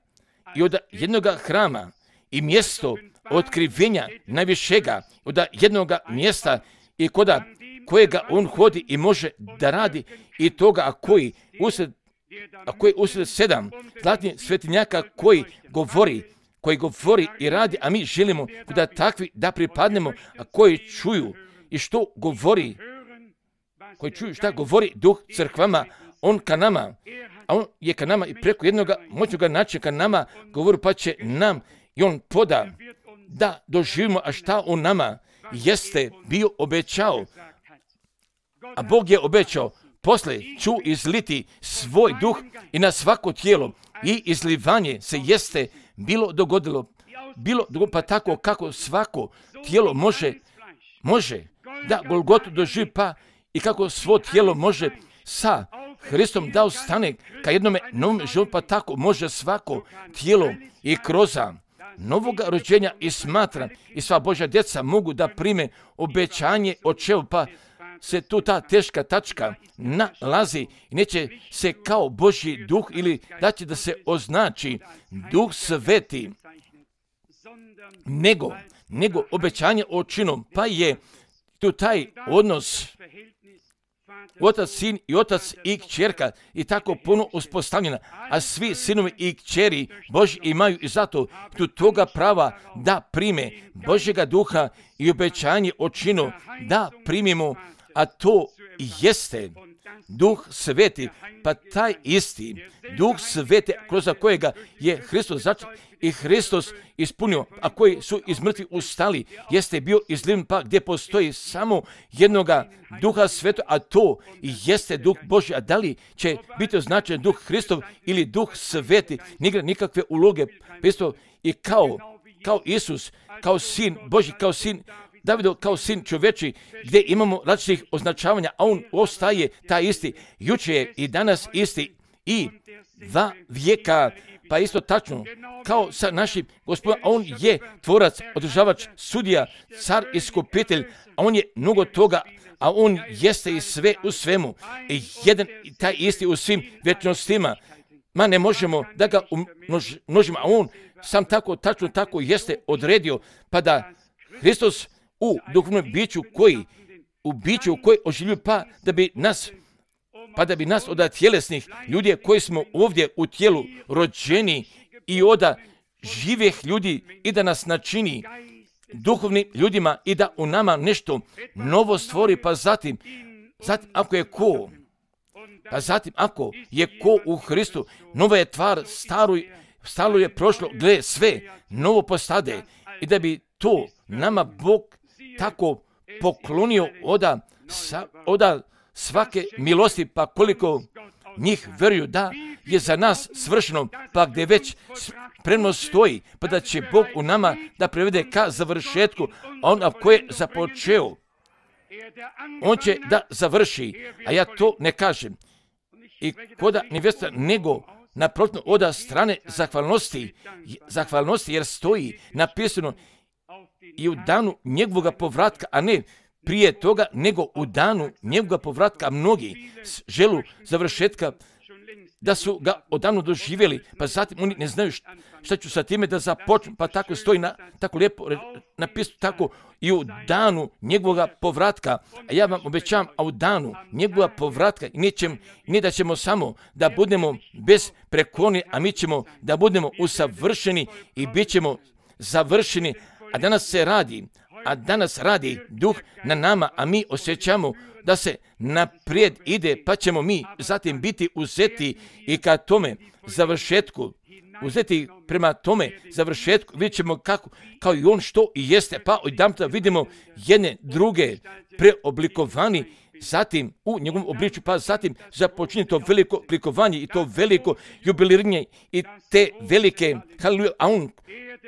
i od jednoga hrama i mjesto otkrivenja najvišega, od jednoga mjesta i koda kojega on hodi i može da radi i toga a koji usred, a koji usred sedam zlatnih svetinjaka koji govori, koji govori i radi, a mi želimo da takvi da pripadnemo, a koji čuju i što govori, koji čuju šta govori Duh crkvama, on ka nama, a on je ka nama i preko jednoga moćnoga načina ka nama govori, pa će nam i on poda da doživimo, a šta on nama jeste bio obećao. A Bog je obećao, posle ću izliti svoj duh i na svako tijelo, i izlivanje se jeste bilo dogodilo, bilo dogodilo, pa tako kako svako tijelo može, može da Golgotu doživi, pa i kako svo tijelo može sa Hristom da ostane ka jednome novom životu, pa tako može svako tijelo i kroz novoga rođenja i smatra i sva Božja djeca mogu da prime obećanje očevu, pa se tu ta teška tačka nalazi i neće se kao Božji duh ili da će da se označi Duh Sveti, nego, nego obećanje očinom, pa je tu taj odnos otac, sin i otac i kćerka i tako puno uspostavljena, a svi sinovi i kćeri Božji imaju i zato tu toga prava da prime Božjega duha i obećanje očinu da primimo, a to jeste Duh Sveti, pa taj isti Duh Sveti kroz kojega je Hristos začet i Hristos ispunio, a koji su iz mrtvih ustali, jeste bio izliven, pa gdje postoji samo jednoga Duha Svetog, a to jeste Duh Božji. A da li će biti označen Duh Hristov ili Duh Sveti, nigre nikakve uloge. Isto i kao, kao Isus, kao sin Božji, kao sin Davidov, kao sin čoveči, gdje imamo različitih označavanja, a on ostaje taj isti, juče je i danas isti i dva vijeka, pa isto tačno, kao sa našim Gospodom, a on je tvorac, održavač, sudija, car, iskupitelj, a on je mnogo toga, a on jeste i sve u svemu, i jedan i taj isti u svim vječnostima, ma ne možemo da ga umnožimo, a on sam tako, tačno tako jeste odredio, pa da Hristos u duhovnom biću koji, u biću koji oživljuje, pa da bi nas, pa da bi nas od tjelesnih ljudi koji smo ovdje u tijelu rođeni i od živih ljudi i da nas načini duhovnim ljudima i da u nama nešto novo stvori, pa zatim, zatim ako je ko, pa zatim ako je ko u Hristu, nova je tvar, staro, staro je prošlo, gle sve novo postade i da bi to nama Bog tako poklonio oda, sa, oda svake milosti, pa koliko njih vjeruju da je za nas svršeno, pa gdje već spremno stoji, pa da će Bog u nama da prevede ka završetku, a on ako je započeo, on će da završi, a ja to ne kažem. I koda nevjesta, nego naprotiv oda strane zahvalnosti, zahvalnosti jer stoji napisano i u danu njegovog povratka, a ne prije toga, nego u danu njegovog povratka. Mnogi želu završetka da su ga odavno doživjeli, pa zatim oni ne znaju šta ću sa time da započnu, pa tako stoji na, tako lijepo napisano, tako i u danu njegovog povratka. A ja vam obećavam, a u danu njegovog povratka nećem, ne da ćemo samo da budemo bez prekloni, a mi ćemo da budemo usavršeni i bit ćemo završeni. A danas se radi, a danas radi Duh na nama, a mi osjećamo da se naprijed ide, pa ćemo mi zatim biti uzeti i ka tome završetku, uzeti prema tome završetku, vidjet ćemo kako, kao i on što i jeste, pa odjedanput vidimo jedne druge preoblikovani zatim u njegovom obličju, pa zatim započinje to veliko klikovanje i to veliko jubiliranje i te velike, haleluja, a on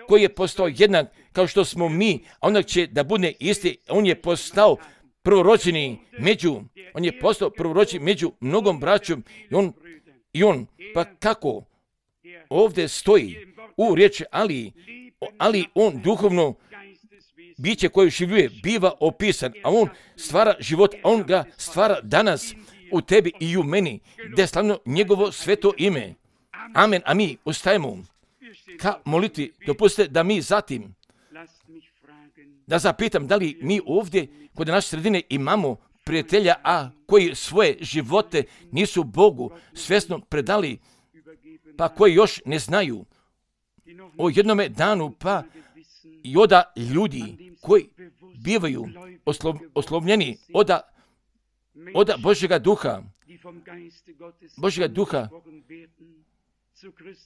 koji je postao jednak kao što smo mi, a onda će da bude isti, on je postao prvorođeni među, on je postao prvorođeni među mnogom braćom i on, i on, pa kako ovdje stoji u riječi, ali, ali on duhovno biće koje življuje biva opisan, a on stvara život, a on ga stvara danas u tebi i u meni, da je slavno njegovo sveto ime. Amen, a mi ustajemo ka moliti. Dopustite da mi zatim, da zapitam da li mi ovdje kod naše sredine imamo prijatelja, a koji svoje živote nisu Bogu svjesno predali, pa koji još ne znaju o jednome danu, pa i oda ljudi koji bivaju oslov, oslovljeni oda, oda Božjega duha, Božjega duha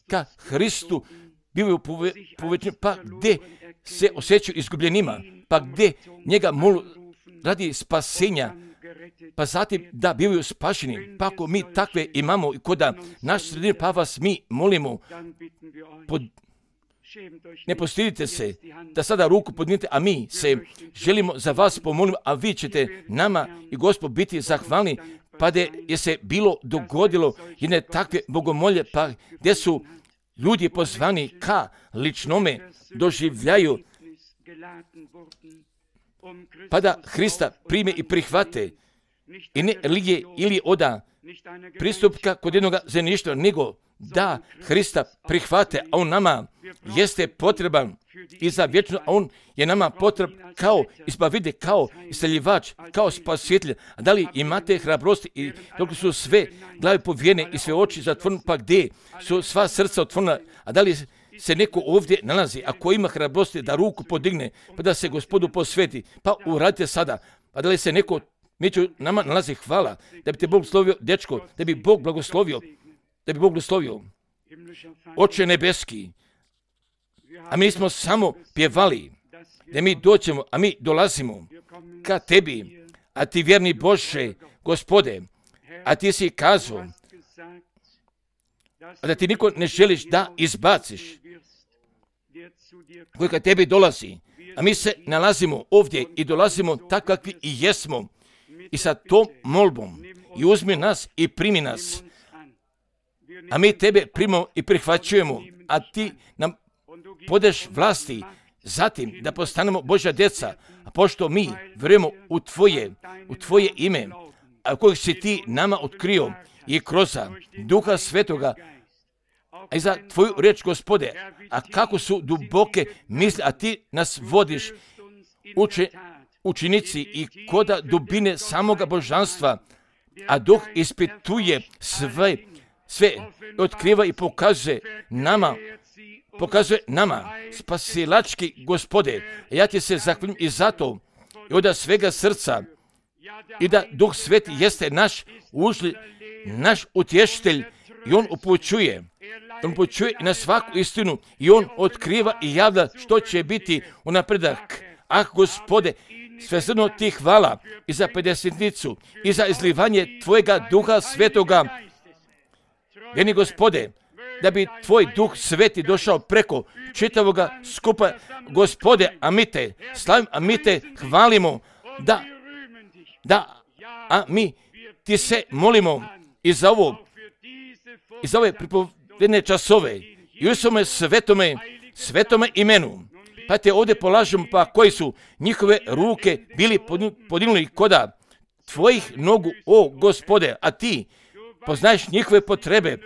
ka Hristu bivaju povećeni, pa gdje se osjećaju izgubljenima, pa gdje njega molu radi spasenja, pa zatim da bivaju spašeni. Pa ako mi takve imamo i koda naš sredine, pa vas mi molimo, pod, ne postidite se da sada ruku podnijete, a mi se želimo za vas pomolimo, a vi ćete nama i Gospod biti zahvalni, pa da je se bilo dogodilo jedne takve bogomolje, pa gdje su ljudi pozvani ka ličnome doživljaju, pa da Hrista prime i prihvate i ne lije ili oda pristupka kod jednoga zemljišta, nego da Hrista prihvate, a on nama jeste potreban i za vječno, a on je nama potreban kao izbavitelj, kao isceljivač, kao spasitelj. A da li imate hrabrosti i dok su sve glave povijene i sve oči zatvorene, pa gdje su sva srca otvorena, a da li se neko ovdje nalazi, ako ima hrabrosti da ruku podigne, pa da se Gospodu posveti, pa uradite sada, pa da li se neko među nama nalazi, hvala, da bi te Bog slovio, dečko, da bi Bog blagoslovio, da bi Bog blagoslovio. Oče nebeski, a mi smo samo pjevali, da mi dođemo, a mi dolazimo ka tebi, a ti vjerni Bože, Gospode, a ti si kazao, a da ti niko ne želiš da izbaciš, koji ka tebi dolazi, a mi se nalazimo ovdje i dolazimo tako kakvi i jesmo, i sa tom molbom, i uzmi nas i primi nas, a mi tebe primamo i prihvaćujemo, a ti nam podeš vlasti, zatim da postanemo Božja djeca, a pošto mi vjerujemo u tvoje, u tvoje ime, a kojeg si ti nama otkrio i kroz Duha Svetoga, a i za tvoju riječ, Gospode, a kako su duboke misli, a ti nas vodiš uče, učinici i koda dubine samoga božanstva, a Duh ispituje sve, sve otkriva i pokazuje nama, pokazuje nama, spasilački Gospode. Ja ti se zahvaljujem i zato, i od svega srca, i da Duh Sveti jeste naš užli, naš utješitelj, i on upućuje, on upućuje na svaku istinu, i on otkriva i javlja što će biti u napredak. Ah, Gospode, svesrdno ti hvala i za pedesetnicu, i za izlivanje tvojega Duha Svetoga. Vjeni Gospode, da bi tvoj Duh Sveti došao preko čitavoga skupa, Gospode, a mi te slavimo, a mi te hvalimo, da, da, a mi ti se molimo i za ovo, i za ove pripovedne časove, i u svome svetome, svetome imenu, pa te ovdje polažemo, pa koji su njihove ruke bili podignuli koda tvojih nogu, o Gospode, a ti poznaješ njihove potrebe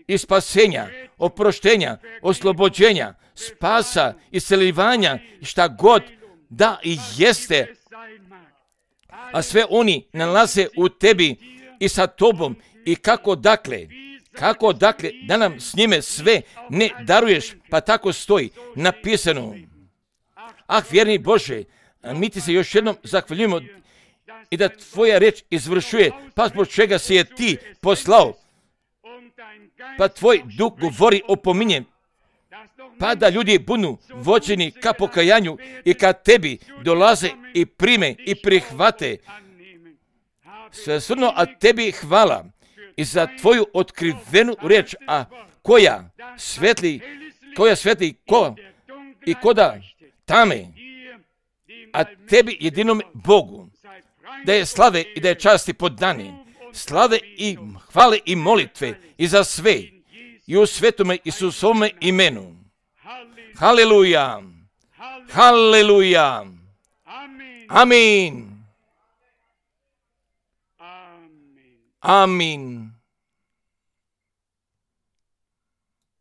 i spasenja, oproštenja, oslobođenja, spasa, isceljivanja, šta god da i jeste, a sve oni nalaze u tebi i sa tobom, i kako dakle, kako dakle da nam s njime sve ne daruješ, pa tako stoji napisano. Ah, vjerni Bože, mi ti se još jednom zahvaljujemo i da tvoja riječ izvršuje, pa zbog čega si je ti poslao, pa tvoj Duh govori, opominje, pa da ljudi budu vođeni ka pokajanju i ka tebi dolaze i prime i prihvate. svesrdno, a tebi hvala i za tvoju otkrivenu riječ, a koja svetli, koja svetli ko i koda tame, a tebi jedinom Bogu, da je slave i da je časti podani, slave i hvale i molitve i za sve, i u svetome Isusovome imenu. Haleluja, haleluja, amin, amin.